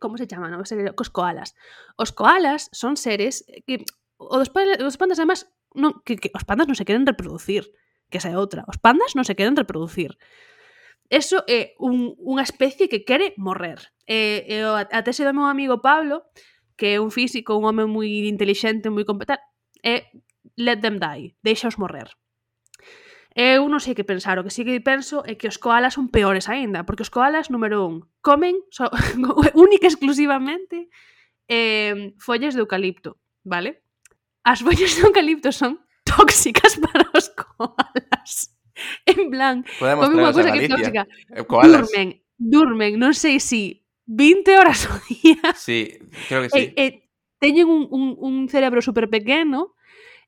Como se chama? Non? Cos koalas. Os koalas son seres que... Os pandas, además, que os pandas non se queren reproducir. Que esa é outra. Os pandas non se queren reproducir. Eso é unha especie que quere morrer. A tese do meu amigo Pablo, que é un físico, un home moi intelixente, moi competente, é let them die, deixaos morrer. Eu non sei que pensar, o que sí que penso é que os koalas son peores aínda, porque os koalas, número 1, comen única e exclusivamente follas de eucalipto, vale? As follas de eucalipto son tóxicas para os koalas. En plan, comen unha cousa que é tóxica. Durmen, non sei si 20 horas ao día. Sí, creo que sí. Teñen un cerebro super pequeno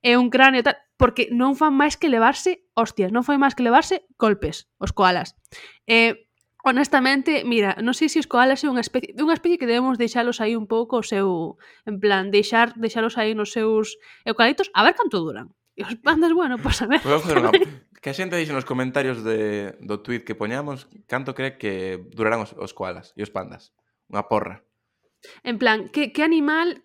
e un cráneo tal, porque non fan máis que levarse hostias, non fan máis que levarse golpes, os koalas. Honestamente, mira, non sei se os koalas é unha especie que debemos deixalos aí un pouco o seu, en plan, deixalos aí nos seus eucaliptos, a ver canto duran. E os pandas, bueno, pois a ver. Que a xente dixe nos comentarios do tweet que poñamos canto cree que durarán os koalas e os pandas. Unha porra. En plan, que animal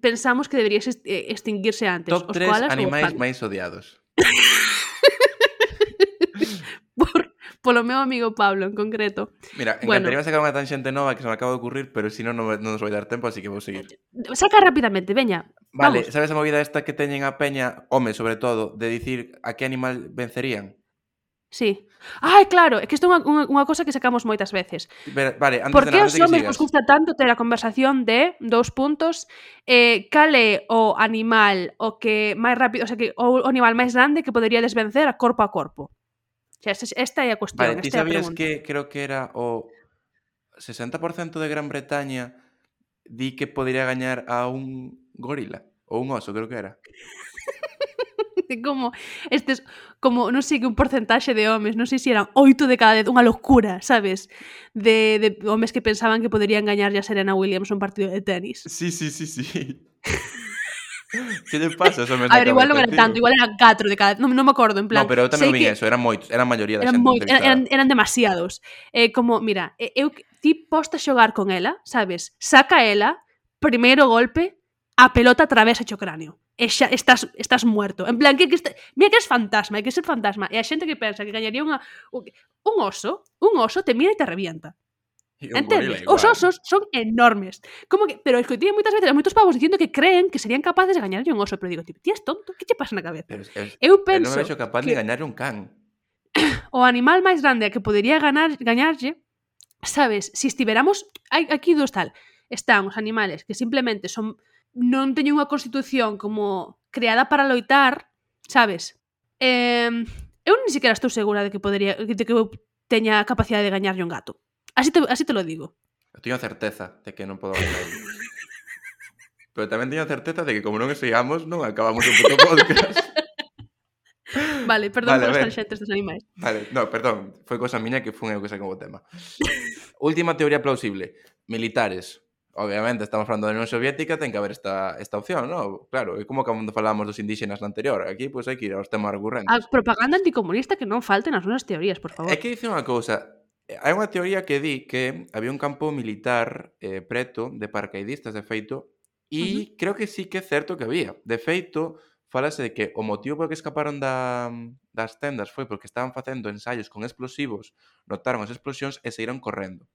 pensamos que debería extinguirse antes? Top os 3 koalas animais máis odiados. Polo meu amigo Pablo, en concreto. Mira, encantaría sacar unha tangente nova que se me acaba de ocurrir, pero si non nos vai dar tempo, así que vou seguir. Saca rapidamente, veña. Vale, vamos. sabes a movida esta que teñen a peña, home, sobre todo, de dicir a que animal vencerían? Sí. Ai, claro, é que isto é unha cosa que sacamos moitas veces. Vale, antes por que de os homens nos gusta tanto ter a conversación de cal é o animal o que máis rápido, o sea, que o animal máis grande que podería desvencer a corpo. Esta é a cuestión, vale, ti esta é a sabías pregunta. que creo que era o 60% de Gran Bretaña di que podría gañar a un gorila ou un oso, creo que era. Como non sei que un porcentaxe de homes, non sei se eran 8 de cada 10, unha locura, sabes? De homes que pensaban que poderían gañar a Serena Williams un partido de tenis. Sí. Que lle pasa? A ver, igual non era tanto, igual eran 4 de cada... Non me acordo, en plan... No, pero eu tamén vi eso, eran moitos, eran a maioría da xente. Eran demasiados. Como, mira, ti posta a xogar con ela, sabes? Saca ela, primeiro golpe, a pelota atravesa o cráneo. E xa estás muerto. En plan, mira que és fantasma, hai que ser fantasma. E a xente que pensa que gañaría un oso te mira e te revienta. Entendes? Os osos son enormes. Como que, pero escoitei moitas veces a moitos pavos dicindo que creen que serían capaces de gañarlle un oso, pero digo, ti és tonto, que che pasa na cabeza? Eu non me vexo capaz de gañarlle un can. o animal máis grande a que podería gañarlle, sabes, se estiveramos... Aquí dos tal. Están os animales que simplemente non teñen unha constitución como creada para loitar, sabes? Eu ni siquiera estou segura de que eu teña a capacidade de gañarlle un gato. Así te lo digo. Eu teño a certeza de que non podo gañar. Pero tamén teño a certeza de que como non sigamos, non acabamos o puto podcast. Vale, perdón Vale, por a ver. os tangentes dos animais. Vale, no, perdón, foi cosa miña que fun eu que saquei o tema. Última teoría plausible. Militares. Obviamente, estamos falando da Unión Soviética, ten que haber esta opción, ¿no? Claro, é como cando falábamos dos indígenas na anterior. Aquí, pois, hai que ir aos temas recurrentes. A propaganda anticomunista que non falte nas nosas teorías, por favor. É que dice unha cousa. Hai unha teoría que di que había un campo militar preto de paracaidistas, de feito, e creo que sí que é certo que había. De feito, falase de que o motivo por que escaparon das tendas foi porque estaban facendo ensaios con explosivos, notaron as explosións e saíron correndo.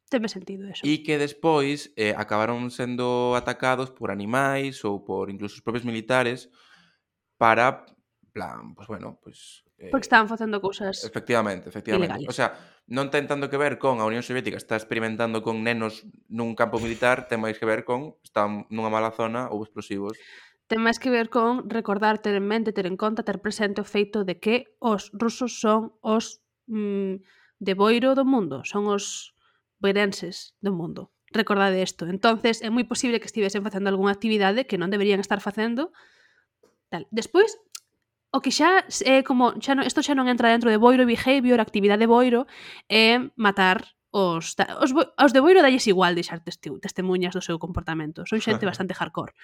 Teme sentido eso. E que despois acabaron sendo atacados por animais ou por incluso os propios militares para, plan, pues bueno, pues... Porque estaban facendo cousas... Efectivamente. Ilegales. O sea, non ten tanto que ver con a Unión Soviética está experimentando con nenos nun campo militar, ten máis que ver con están nunha mala zona ou explosivos. Ten máis que ver con recordar, ter en mente, ter en conta, ter presente o feito de que os rusos son os de boiro do mundo, son os boirenses do mundo. Recordade isto. Entonces, é moi posible que estivesen facendo algunha actividade que non deberían estar facendo. Tal. Despois, o que xa é como isto xa non entra dentro de boiro behavior, actividade boiro, é matar os de boiro dalles igual deixar testemunhas do seu comportamento. Son xente bastante hardcore.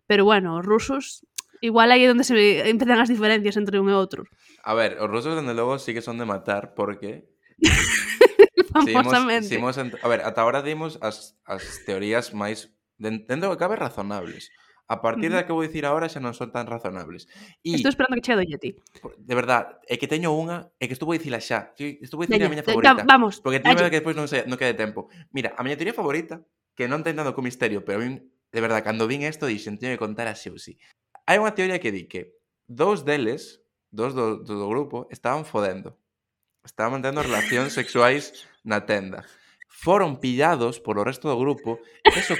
Pero bueno, os rusos igual aí é onde se empezan as diferencias entre un e outro. A ver, os rusos dende logo sí que son de matar porque famosamente. A ver, ata ahora dimos as teorías máis dentro do que cabe razonables. A partir da que vou dicir agora xa non son tan razonables. Estou esperando que chegue do Yeti. De verdad, é que teño unha, é que estou a dicila xa. Estou a dicir a miña favorita. Vamos. Porque teño que despois non quede tempo. Mira, a miña teoría favorita, que non ten tanto con misterio, pero a mí, de verdad, cando vin isto, dixen, teño que contar así ou sí. Hai unha teoría que di que dous do grupo, estaban fodendo. Estaban mantendo relacións sexuais na tenda. Foron pillados polo resto do grupo, eso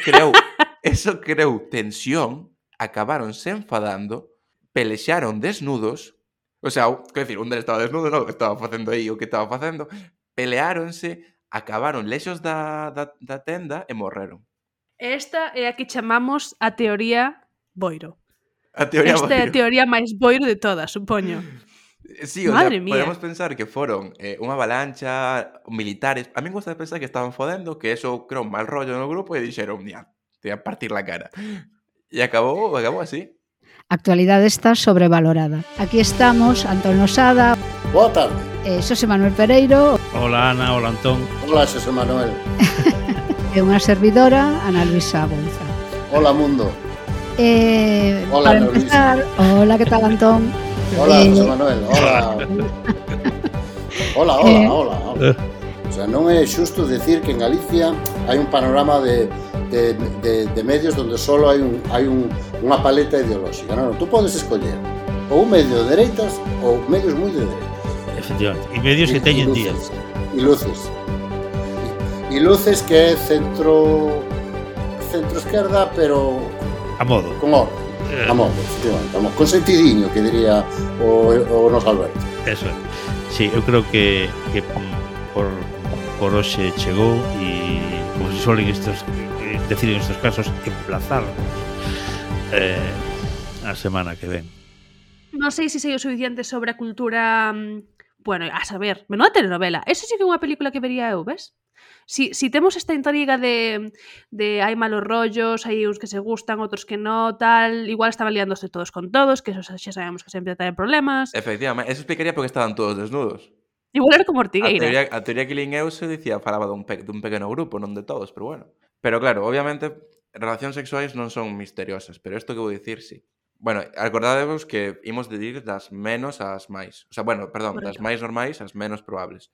creou tensión, acabaron se enfadando, pelexaron desnudos, o sea, quer decir, un deles estaba desnudo, non, estaba facendo aí o que estaba facendo, peleáronse, acabaron lexos da tenda e morreron. Esta é a que chamamos a teoría boiro. Esta é a teoría máis boiro de todas, supoño. Sí, o Madre sea, mía. podemos pensar que foron unha avalancha, militares. A mí me gusta pensar que estaban fodendo, que eso creou un mal rollo no grupo e dixeron, mira, te voy a partir la cara. E acabou así. A actualidade está sobrevalorada. Aquí estamos, Antón Losada. Boa tarde. Xosé Manuel Pereiro. Hola Ana, hola Antón. Hola Xosé Manuel. E unha servidora, Ana Luisa Bonza. Hola mundo. Hola, para empezar, hola, que tal Antón? Hola Xosé Manuel, hola. Hola. O sea, non é xusto decir que en Galicia hai un panorama de medios donde solo hai unha paleta ideolóxica. Non, tú podes escoller ou un medio de dereitas ou medios moi de dereitas. Efectivamente, e medios que teñen días. E luces. E luces que é centro esquerda, pero a modo. Con orden. A modo, efectivamente. Con sentidiño, que diría o nos Alberto. Eso é. Sí, eu creo que por hoxe chegou e como se suelen decir en estos casos, emplazar a semana que ven. Non sei se sei o suficiente sobre a cultura... Bueno, a saber, menuda telenovela. Eso sí que é unha película que vería eu, ves? Si temos esta intriga de hai malos rollos, hai uns que se gustan, outros que no, tal, igual estaban liándose todos con todos, que eso xa sabemos que sempre traen problemas. Efectivamente, eso explicaría porque estaban todos desnudos. Igual era como Ortigueira. A teoría que lin eu se dicía, falaba dun pequeno grupo, non de todos, pero bueno. Pero claro, obviamente, relacións sexuais non son misteriosas, pero isto que vou dicir, sí. Bueno, acordadevos que imos de ir das menos ás máis. O sea, bueno, perdón, correcto. Das máis normais ás menos probables.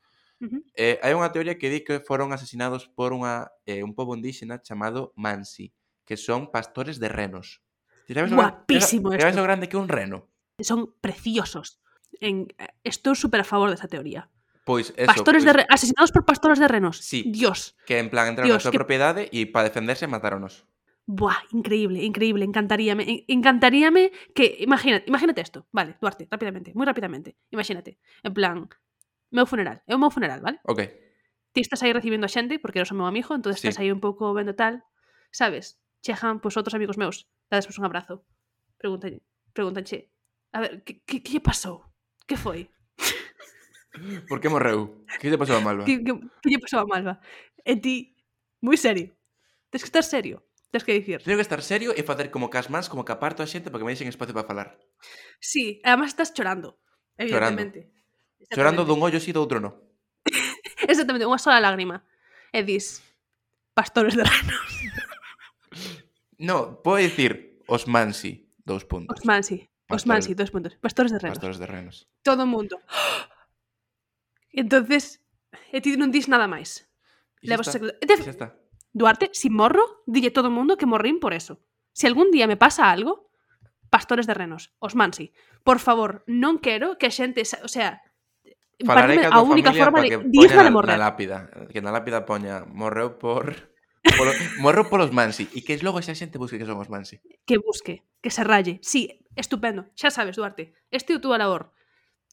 Hai unha teoría que di que foron asesinados por un pobo indígena chamado Mansi, que son pastores de renos. Guapísimo isto. ¿Sabes lo grande que un reno? Son preciosos. estou super a favor desa teoría. Pois eso, asesinados por pastores de renos. Sí, Dios. que en plan entraron na súa propiedade e para defenderse mataronos. Buah, increíble, encantaríame que, imagínate esto, vale, Duarte, rápidamente, moi rapidamente, imagínate, en plan, é o meu funeral, vale? Ok. Ti estás aí recibindo a xente, porque eres o meu amigo, entón estás aí un pouco vendo tal, sabes, chejan, pois, outros amigos meus, dades un abrazo, pregúntanche, a ver, que lle pasou? Que foi? Por que morreu? Que lle pasou a Malva? Que lle pasou a Malva? E ti, moi serio, tens que estar serio. Tens que dicir. Teño que estar serio e facer como que as mans, como que aparto a xente para que me deixen espacio para falar. Sí, además estás chorando, evidentemente. Chorando dun ollo sí, do outro no. Exactamente, unha sola lágrima. E dis, pastores de renos. No, podo dicir os Mansi, 2 puntos. Os Mansi, 2 puntos. Pastores de renos. Pastores de renos. Todo o mundo. Entonces, e ti non dis nada máis. E xa está. Duarte, si morro, dille todo o mundo que morrín por eso. Se algún día me pasa algo, pastores de renos, os Mansi. Por favor, non quero que a xente, o sea, falarei a única forma de digna de morrer. Que na lápida poña morreu polos Mansi e que logo esa xente busque que son os Mansi. Que busque, que se ralle. Sí, estupendo. Xa sabes, Duarte, este é a túa labor.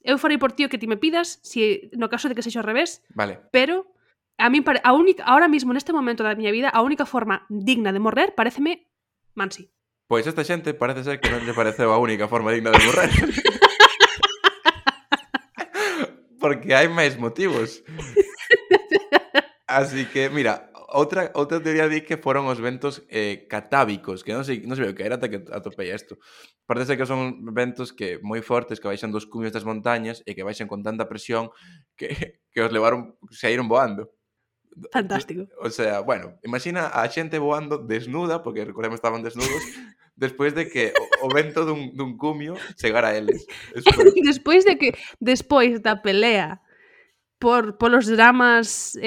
Eu farei por ti o que ti me pidas, si no caso de que sexa ao revés. Vale. Pero a mí ahora mismo neste momento da miña vida a única forma digna de morrer paréceme Mansi. Pois esta xente parece ser que non lle pareceu a única forma digna de morrer. Porque hai máis motivos. Así que, mira, outra teoría di que foron os ventos catábicos, que non sei o que era ata que atopei isto. Parece ser que son ventos que moi fortes que baixan dos cumios das montañas e que baixan con tanta presión que os levaron, saíron voando. Fantástico. O sea, bueno, imagina a xente voando desnuda, porque recordemos estaban desnudos, despois de que o vento dun cumio chegara a eles. Despois da pelea polos dramas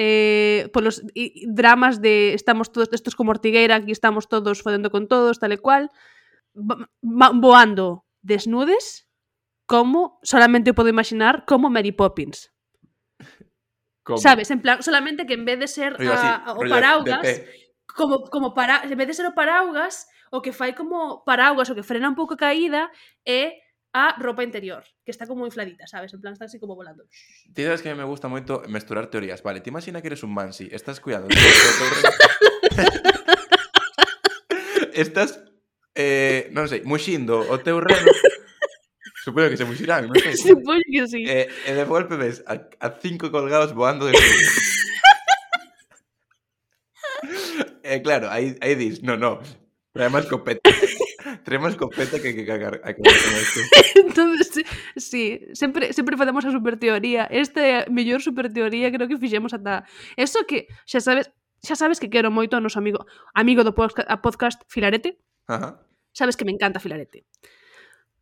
dramas de estamos todos estos como Ortigueira, aquí estamos todos fodendo con todos, tal e cual, voando desnudes, como solamente podo imaginar como Mary Poppins. ¿Cómo? Sabes, en plan, solamente que en vez de ser o paraugas, en vez de ser o paraugas, o que fai como paraugas, o que frena un pouco a caída, é a roupa interior, que está como infladita, sabes? En plan, está así como volando. Ti sabes que me gusta moito mesturar teorías. Vale, te imagina que eres un Mansi, estás cuidando. Estás, non sei, muxindo o teu reno. Supoño que se muxirán, non sei. Supoño que sí. E de golpe ves a 5 colgados voando de frío. Claro, aí dis, no, traemos escopeta. Traemos escopeta que hai que cagar con isto. Entonces, sí, sempre facemos a superteoría. Esta é a mellor superteoría creo que fixemos ata... Eso que xa sabes que quero moito ao noso amigo do podcast Filarete. Ajá. Sabes que me encanta Filarete.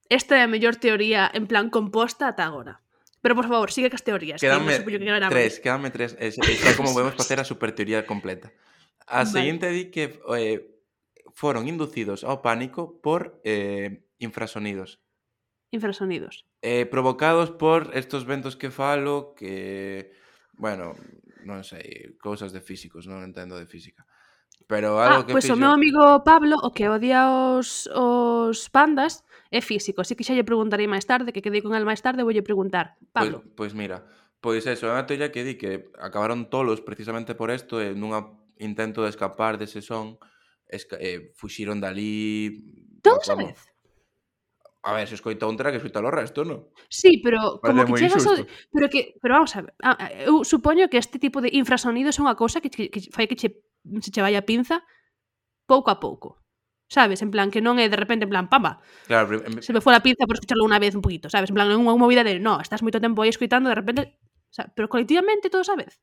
Esta é a mellor teoría en plan composta ata agora. Pero, por favor, sigue cas teorías. Quédame 3. Xa como podemos facer a superteoría completa. A seguinte di que foron inducidos ao pánico por infrasonidos. Infrasonidos. Provocados por estos ventos que falo que, bueno, non sei, cousas de físicos, non entendo de física. Pero algo que pois o meu amigo Pablo, o que odia os pandas, é físico, así que xa lle preguntarei máis tarde, que quedei con el máis tarde, voulle preguntar. Pablo. Pois mira, pois eso, é unha teoría que di que acabaron tolos precisamente por isto, e nun intento de escapar dese son, fuxiron dali... Todos a vez? A ver, se escoita un terá que escoitar o resto, non? Sí, pero como que chegas pero vamos a ver, eu supoño que este tipo de infrasonidos é unha cousa que fai que se che vai a pinza pouco a pouco. Sabes? En plan, que non é de repente, en plan, pamba. Claro, se me foi a pinza por escucharlo unha vez un poquito, sabes? En plan, non é unha movida de, no, estás moito tempo aí escoitando, de repente, o sea, pero colectivamente todos a vez.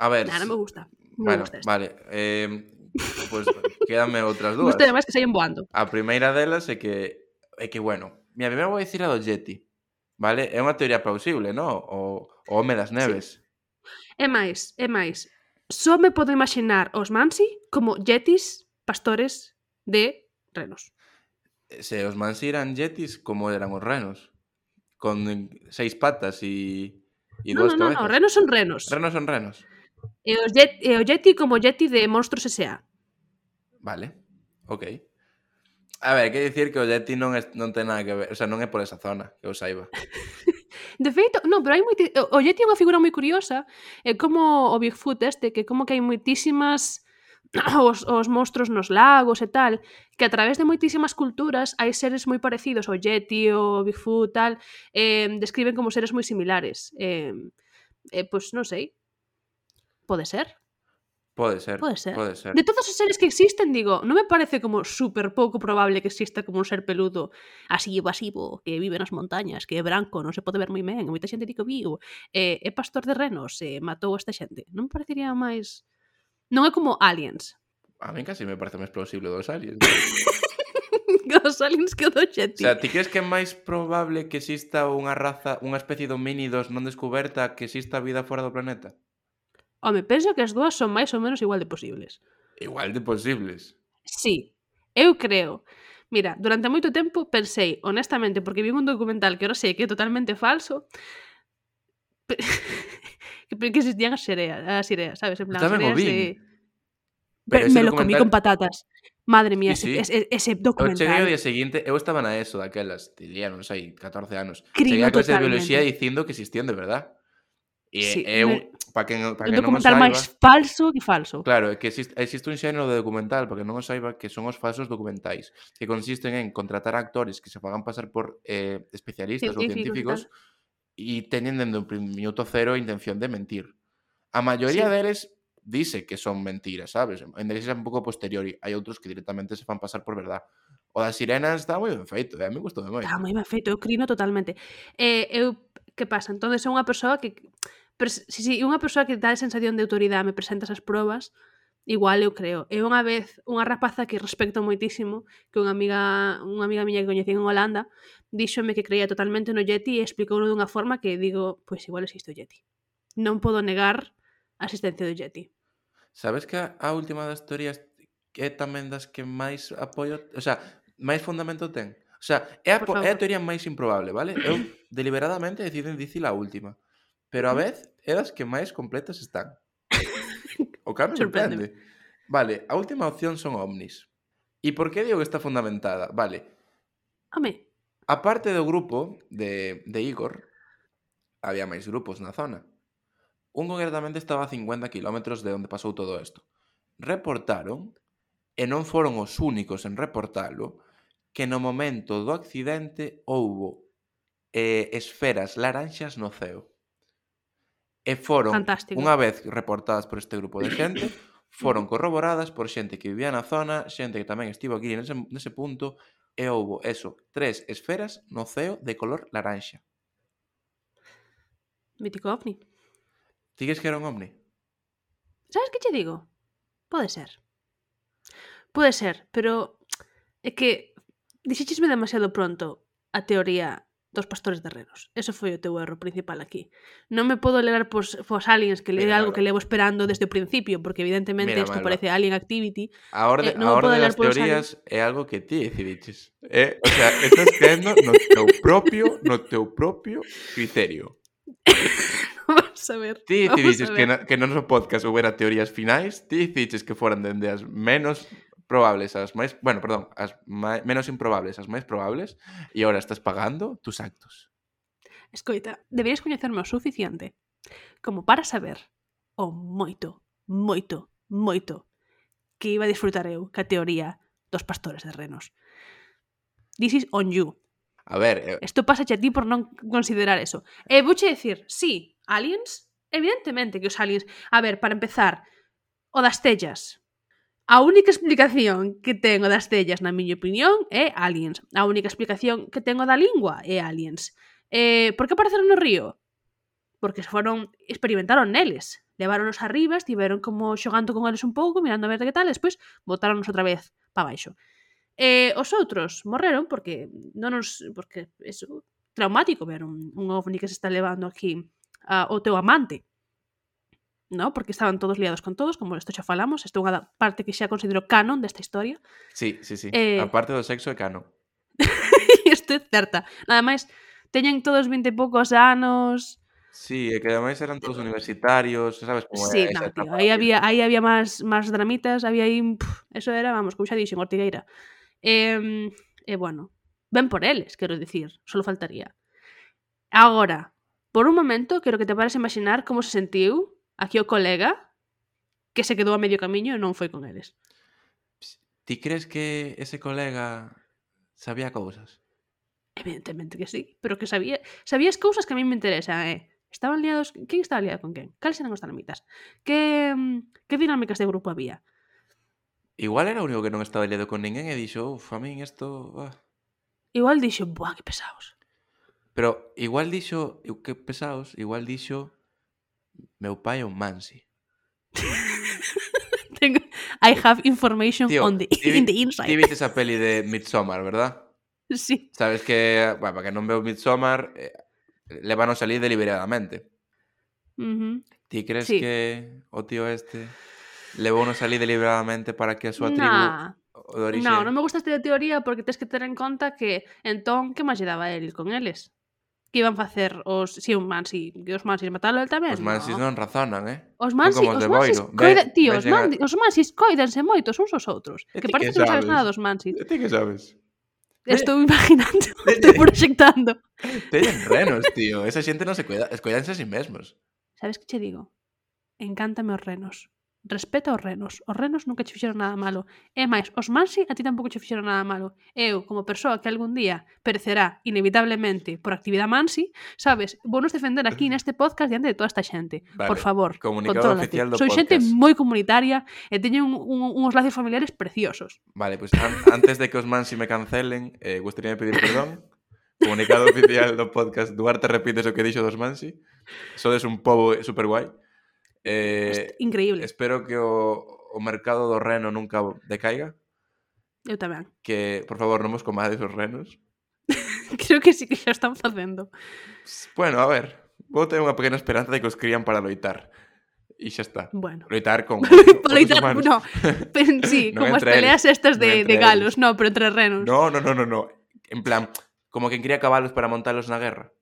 A ver. Non me gusta. Bueno, vale. Pois quédame outras dúas. Gusta además que saían voando. A primeira delas é que bueno, mira, primeiro vou dicir a do Yeti, vale? É unha teoría plausible, non? O home das neves. Sí. É máis. Só me podo imaginar os Mansi como yetis pastores de renos. Se os Mansi eran yetis, como eran os renos? con 6 patas e No, dúas no, cabezas. no, renos son renos. Renos son renos. E o Yeti como Yeti de Monstruos S.A. Vale, ok. A ver, quer dicir que o Yeti non ten nada que ver, o sea, non é por esa zona, que eu saiba. De feito, non, pero hai o Yeti é unha figura moi curiosa, é como o Bigfoot que como que hai moitísimas os monstruos nos lagos e tal, que a través de moitísimas culturas hai seres moi parecidos ao Yeti, o Bigfoot, tal, describen como seres moi similares. Pois non sei, pode ser. Pode ser. De todos os seres que existen, digo, non me parece como super pouco probable que exista como un ser peludo así evasivo, que vive nas montañas, que é branco, non se pode ver moi ben, moita xente di que viu, é pastor de renos, matou a esta xente. Non me parecería máis... Non é como Aliens. A mí casi me parece máis plausible dos aliens. Os aliens que o do Yeti. O sea, ti crees que é máis probable que exista unha raza, unha especie de homínidos non descoberta que exista vida fora do planeta? Home, penso que as dúas son máis ou menos igual de posibles. Igual de posibles. Sí, eu creo. Mira, durante moito tempo pensei, honestamente, porque vi un documental que ahora sei que é totalmente falso, que existían as sireas, sabes? En plan, Tamén o sireas vi. Pero me lo comí con patatas. Madre mía, sí. ese documental. Eu cheguei o día seguinte, eu estaba na ESO daquelas, diría, non sei, 14 anos. Crino cheguei a clase de totalmente. biología dicindo que existían de verdad. E Sí, para que non documental saiba, máis falso que falso. Claro, é que existe un xénero de documental, para que non o saiba, que son os falsos documentais, que consisten en contratar actores que se fagan pasar por especialistas ou científicos e teñen dende o minuto cero a intención de mentir. A maioría deles dice que son mentiras, sabes? En deles é un pouco posteriori. Hai outros que directamente se fan pasar por verdad. O das sirenas está moi ben feito, a mí gustou moito. Está moi ben feito, eu crino totalmente. Que pasa? Entón, é unha persoa que... Si unha persoa que dá a sensación de autoridade me presenta esas probas, igual eu creo. É unha vez unha rapaza que respecto moitísimo, que unha amiga miña que coñecí en Holanda, díxome que creía totalmente no Yeti e explicouno dunha forma que digo, pois igual existe o Yeti. Non podo negar a existencia do Yeti. Sabes que a última das teorías é tamén das que máis apoio, o sea, máis fundamento ten? O sea, é a teoría máis improbable, vale? Eu deliberadamente deciden dicir a última, pero a vez é das que máis completas están. O que me sorprende. Vale, a última opción son ovnis. E por que digo que está fundamentada? Vale. Home. A parte do grupo de Igor, había máis grupos na zona. Un concretamente estaba a 50 kilómetros de onde pasou todo isto. Reportaron, e non foron os únicos en reportalo, que no momento do accidente houbo esferas laranxas no ceo. E foron, unha vez reportadas por este grupo de xente, foron corroboradas por xente que vivía na zona, xente que tamén estivo aquí nese punto, e houbo, 3 esferas no ceo de color laranxa. Mítico ovni. Digues que era un ovni? Sabes que che digo? Pode ser. Pode ser, pero é que dixéchesme demasiado pronto a teoría dos pastores de renos. Eso foi o teu erro principal aquí. Non me podo levar pos aliens, que é algo que levo esperando desde o principio, porque evidentemente isto parece Alien Activity. A orde das teorías é algo que ti decidiches. O sea, estás creendo no teu propio criterio. Vamos a ver. Ti decidiches que no noso podcast houbera teorías finais, ti decidiches que foran dende as menos probables as máis, as menos improbables as máis probables, e agora estás pagando tus actos. Escoita, deberías coñecerme o suficiente como para saber o moito que iba a disfrutar eu ca teoría dos pastores de renos. This is on you. A ver... Isto pasa a ti por non considerar eso. E vouche dicir, sí, aliens, evidentemente que os aliens... A ver, para empezar, o das tellas. A única explicación que ten o das tellas, na miña opinión, é aliens. A única explicación que ten o da lingua é aliens. Por que apareceron no río? Porque experimentaron neles. Leváronos arriba, estiveron como xogando con eles un pouco, mirando a ver de que tal, e despois botáronos outra vez para baixo. Os outros morreron porque eso, traumático ver un ovni que se está levando aquí o teu amante, no? Porque estaban todos liados con todos, como isto xa falamos, isto é unha parte que xa considero canon desta historia. Sí. A parte do sexo é canon. Isto é certa. Nada máis, teñen todos 20 e poucos anos. Sí, e que ademais eran todos universitarios, sabes como Sí, é no, esa tío, etapa. aí había máis dramitas, había aí, eso era, vamos, como xa dixen, Ortigueira. E bueno, ben por eles, quero dicir, solo faltaría. Agora, por un momento, quero que te pares a imaginar como se sentiu aquí o colega que se quedou a medio camiño e non foi con eles. Ti crees que ese colega sabía cousas? Evidentemente que sí, pero que sabías cousas que a mí me interesan, estaban liados, quen estaba liado con quen? Cales eran os dinamitas? Que dinámicas de grupo había? Igual era o único que non estaba liado con ninguén e dixo, a min isto... Igual dixo, buah, que pesados. Pero igual dixo, que pesados, igual dixo, meu pai é un mansi. I have information Tío, in the inside. Ti viste esa peli de Midsommar, verdad? Sí. Sabes que, bueno, para que non veo Midsommar, levan a salir deliberadamente. Ti crees que o tío este levou a salir deliberadamente para que a súa tribu de orixe... Non me gusta esta teoría porque tens que ter en conta que entón, que máis lle daba el con eles? Que iban facer os un mansi, que os mansis matalo el tamén? Os mansis non razonan, Os mansis coidanse moito uns aos outros. Que parece que non sabes nada dos mansis. Ti que sabes? Estou imaginando, estou proxectando. Teñen renos, tío. Esa xente non se cuida, escoidanse a sí mesmos. Sabes que che digo? Encántame os renos. Respeta os renos nunca che fixeron nada malo. E máis, os mansi a ti tampouco che fixeron nada malo. Eu, como persoa que algún día perecerá inevitablemente por actividade mansi, sabes, vounos defender aquí neste podcast diante de toda esta xente. Vale, por favor, comunicado oficial do Soy podcast. xente moi comunitaria e teño uns lazos familiares preciosos. Vale, pues antes de que os mansi me cancelen, gustaría pedir perdón. Comunicado oficial do podcast. Duarte repites o que dixo dos mansi. Sodes un pobo super guai. Increíble. Espero que o mercado do reno nunca decaiga. Eu tamén. Que, por favor, non vos comades os renos. Creo que sí que xa están facendo. Bueno, a ver, vou ter unha pequena esperanza de que os crían para loitar. E xa está. Bueno. Loitar con loitar, humanos. No. Sí, No como as peleas estas de galos, no, pero entre renos. No. En plan, como quen cría cabalos para montalos na guerra.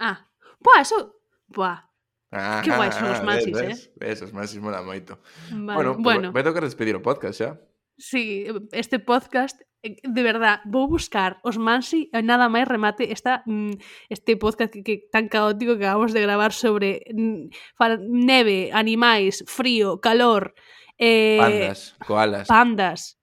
Buah, eso... Buah. Que guai son os mansis, Esos mansis mola moito. Vale. Bueno, vai tocar despedir o podcast xa. Sí, este podcast, de verdad, vou buscar os mansi e nada máis remate este podcast que tan caótico que acabamos de gravar sobre neve, animais, frío, calor, pandas, koalas,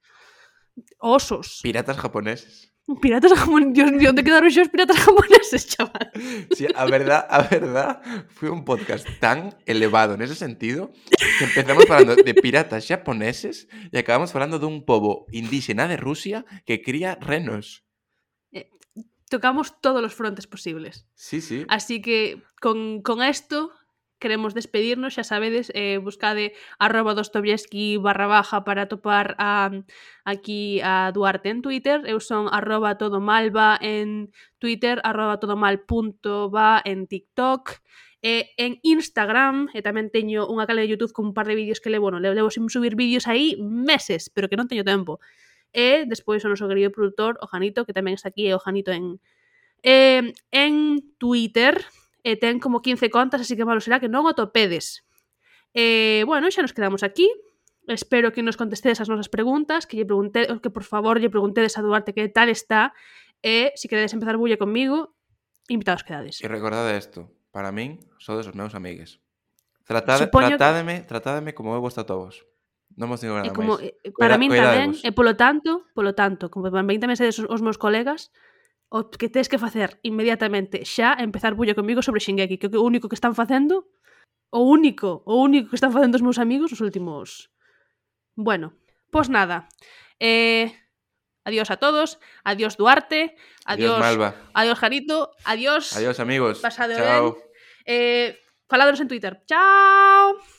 osos, piratas japoneses. Piratas japoneses, Dios mío, ¿dónde quedaron esos piratas japoneses, chaval? Sí, a verdad, fue un podcast tan elevado en ese sentido que empezamos hablando de piratas japoneses y acabamos hablando de un pobo indígena de Rusia que cría renos. Tocamos todos los frontes posibles. Sí. Así que con esto queremos despedirnos, xa sabedes, buscade @Dostoevsky _ para topar aquí a Duarte en Twitter. Eu son @todomalva en Twitter, @todomal.va en TikTok, en Instagram, e tamén teño unha canle de YouTube con un par de vídeos que levo sin subir vídeos aí meses, pero que non teño tempo. E despois o noso querido produtor, o Janito, que tamén está aquí, o Janito en Twitter. Ten como 15 contas, así que malo será que non o topedes. Bueno, xa nos quedamos aquí. Espero que nos contestedes as nosas preguntas, que por favor lle preguntedes a Duarte que tal está, e se queredes empezar bulla conmigo, invitados quedades. E recordade isto, para min sodes os meus amigues. Tratádeme como eu vos trato a vos. Non vos digo nada máis. Para min tamén, e polo tanto, como tamén sedes os meus colegas, o que tens que facer inmediatamente xa empezar bulla comigo sobre Shingeki, que é o único que están facendo, o único que están facendo os meus amigos os últimos. Bueno, pois nada. Adiós a todos, adiós Duarte, adiós Malva, adiós Jarito, adiós amigos. Pasade Chao. ben. Faládonos en Twitter. Chao.